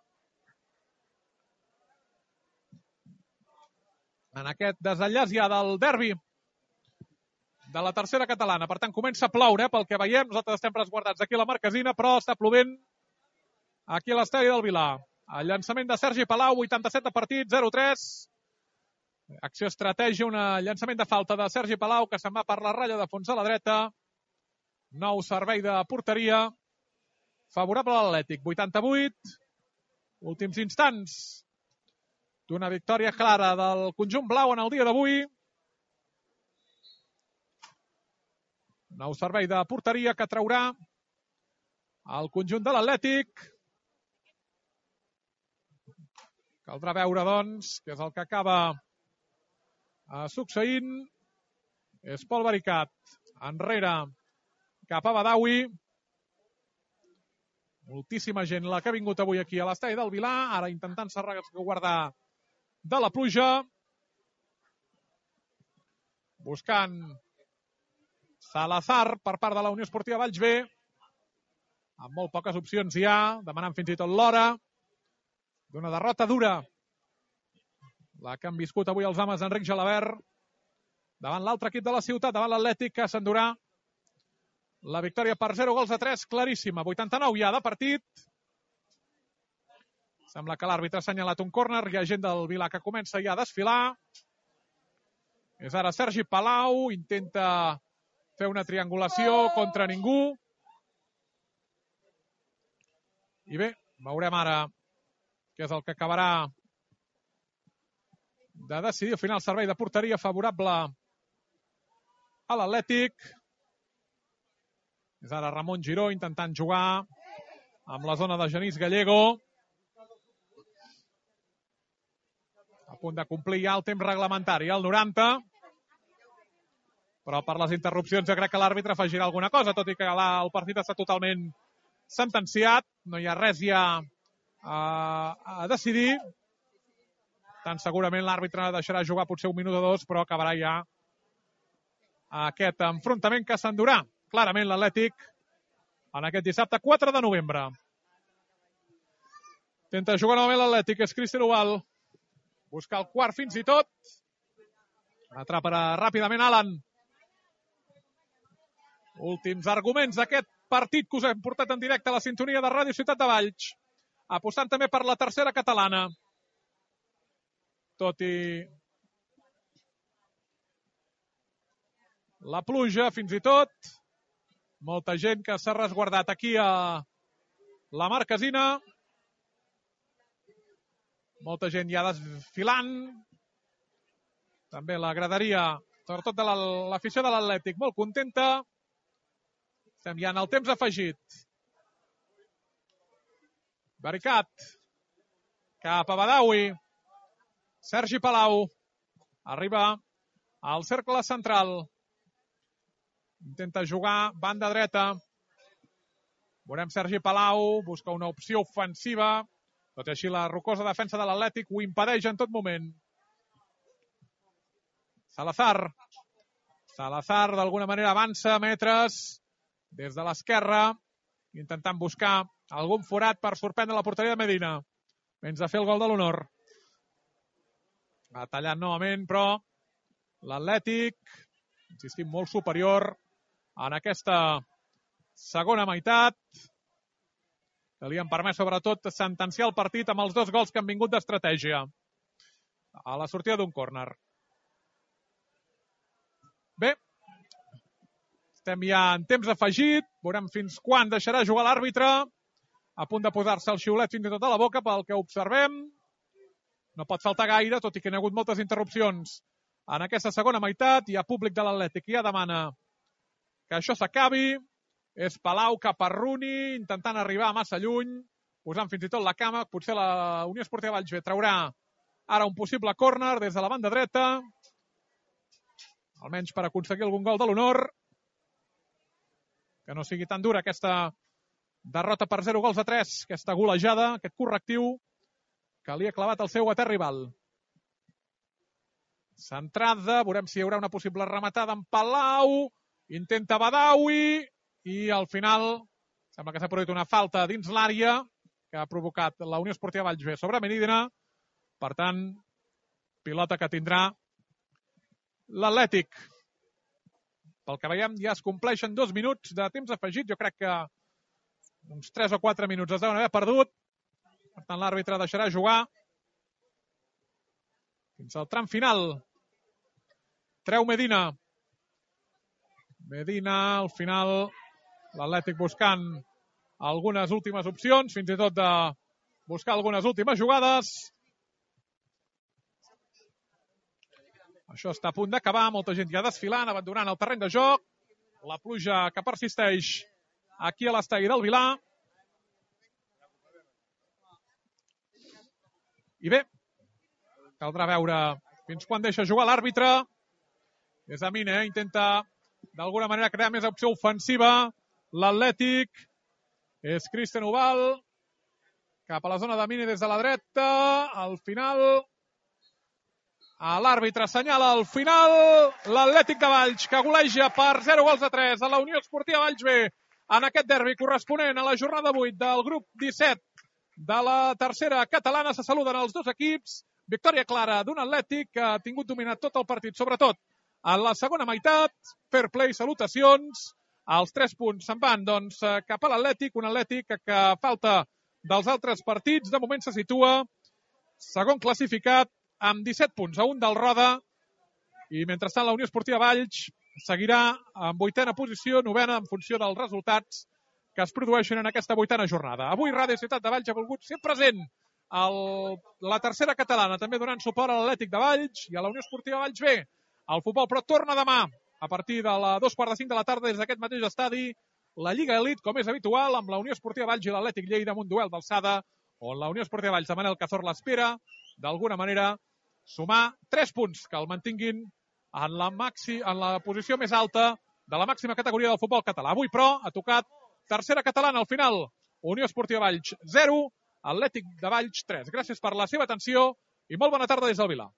En aquest desenllaç ja del derbi de la tercera catalana. Per tant, comença a ploure, pel que veiem. Nosaltres estem resguardats aquí a la Marquesina, però està plovent aquí a l'estadi del Vilar. El llançament de Sergi Palau, vuitanta-set de partit, zero tres. Acció estratègia, un llançament de falta de Sergi Palau, que se'n va per la ratlla de fons a la dreta. Nou servei de porteria. Favorable a l'Atlètic. vuitanta-vuit. Últims instants d'una victòria clara del conjunt blau en el dia d'avui. Nou servei de porteria que traurà el conjunt de l'Atlètic. Caldrà veure, doncs, què és el que acaba succeint. És Pol Vericat enrere cap a Badawi. Moltíssima gent la que ha vingut avui aquí a l'estadi del Vilar, ara intentant-se guardar de la pluja. Buscant Salazar per part de la Unió Esportiva Valls B. Amb molt poques opcions hi ha, demanant fins i tot l'hora d'una derrota dura. La que han viscut avui els homes d'Enric Gelabert davant l'altre equip de la ciutat, davant l'Atlètic, que s'endurà la victòria per zero gols a tres, claríssima. vuitanta-nou ja de partit. Sembla que l'àrbitre ha assenyalat un córner. Hi ha gent del Vilar que comença ja a desfilar. És ara Sergi Palau. Intenta fer una triangulació contra ningú. I bé, veurem ara què és el que acabarà de decidir. Al final, servei de porteria favorable a l'Atlètic. És ara Ramon Giró intentant jugar amb la zona de Genís Gallego. A punt de complir ja el temps reglamentari, al noranta. Però per les interrupcions jo crec que l'àrbitre afegirà alguna cosa, tot i que el partit està totalment sentenciat. No hi ha res ja a, a decidir. Tant segurament l'àrbitre deixarà jugar potser un minut o dos, però acabarà ja aquest enfrontament que s'endurà clarament l'Atlètic en aquest dissabte quatre de novembre. Intenta jugar novament l'Atlètic, és Cristian Ubal. Busca el quart fins i tot. Atraparà ràpidament Alan. Últims arguments d'aquest partit que us hem portat en directe a la sintonia de Ràdio Ciutat de Valls. Apostant també per la tercera catalana. Tot i la pluja, fins i tot. Molta gent que s'ha resguardat aquí a la Marquesina. Molta gent ja desfilant. També la graderia, sobretot de l'afició de l'Atlètic, molt contenta. Estem ja en el temps afegit. Vericat. Cap a Badawi. Sergi Palau. Arriba al cercle central. Intenta jugar banda dreta. Veurem Sergi Palau. Busca una opció ofensiva. Tot i així la rocosa defensa de l'Atlètic ho impedeix en tot moment. Salazar. Salazar d'alguna manera avança metres des de l'esquerra, intentant buscar algun forat per sorprendre la porteria de Medina. Menys de fer el gol de l'honor. Ha tallat novament, però l'Atlètic, insistim, molt superior en aquesta segona meitat, que li han permès sobretot sentenciar el partit amb els dos gols que han vingut d'estratègia a la sortida d'un córner. Bé, estem ja en temps afegit, veurem fins quan deixarà jugar l'àrbitre, a punt de posar-se el xiulet fins i tot a la boca pel que observem. No pot faltar gaire, tot i que hi ha hagut moltes interrupcions en aquesta segona meitat. Hi ha públic de l'Atlètic que ja demana que això s'acabi. És Palau cap a Rooney, intentant arribar massa lluny, posant fins i tot la cama. Potser la Unió Esportiva Valls B traurà ara un possible córner des de la banda dreta, almenys per aconseguir algun gol de l'honor. Que no sigui tan dura aquesta derrota per zero gols a tres, aquesta golejada, aquest correctiu que li ha clavat el seu etern rival. Centrada, veurem si hi haurà una possible rematada en Palau, intenta Badawi, i al final sembla que s'ha produït una falta dins l'àrea que ha provocat la Unió Esportiva Valls B sobre Medina. Per tant, pilota que tindrà l'Atlètic. Pel que veiem, ja es compleixen dos minuts de temps afegit. Jo crec que uns tres o quatre minuts es deuen haver perdut. Per tant, l'àrbitre deixarà jugar fins al tram final. Treu Medina. Medina, al final, l'Atlètic buscant algunes últimes opcions, fins i tot de buscar algunes últimes jugades. Això està a punt d'acabar, molta gent ja desfilant, abandonant el terreny de joc. La pluja que persisteix aquí a l'estadi del Vilà. I bé, caldrà veure fins quan deixa jugar l'àrbitre. És a Mine, intenta d'alguna manera crear més opció ofensiva. L'Atlètic és Cristian Ubal, cap a la zona de Mine des de la dreta. Al final, l'àrbitre assenyala al final l'Atlètic de Valls, que goleja per zero gols a tres a la Unió Esportiva Valls B en aquest derbi corresponent a la jornada vuit del grup disset de la tercera catalana. Se saluden els dos equips. Victòria clara d'un Atlètic que ha tingut dominat tot el partit, sobretot en la segona meitat. Fair play, salutacions. Els tres punts se'n van doncs, cap a l'Atlètic, un Atlètic que, que a falta dels altres partits, de moment se situa segon classificat amb disset punts a un del Roda, i mentrestant la Unió Esportiva Valls seguirà en vuitena posició, novena en funció dels resultats que es produeixen en aquesta vuitena jornada. Avui Ràdio Ciutat de Valls ha volgut ser present a la tercera catalana, també donant suport a l'Atlètic de Valls i a la Unió Esportiva Valls B. El futbol, però, torna demà a partir de les dos quarts de cinc de la tarda des d'aquest mateix estadi. La Lliga Elit, com és habitual, amb la Unió Esportiva Valls i l'Atlètic Lleida, amb un duel d'alçada, on la Unió Esportiva Valls de Manel Cazor l'espera, d'alguna manera, sumar tres punts que el mantinguin en la, maxi, en la posició més alta de la màxima categoria del futbol català. Avui, però, ha tocat tercera catalana al final. Unió Esportiva Valls zero, Atlètic de Valls tres. Gràcies per la seva atenció i molt bona tarda des del Vilà.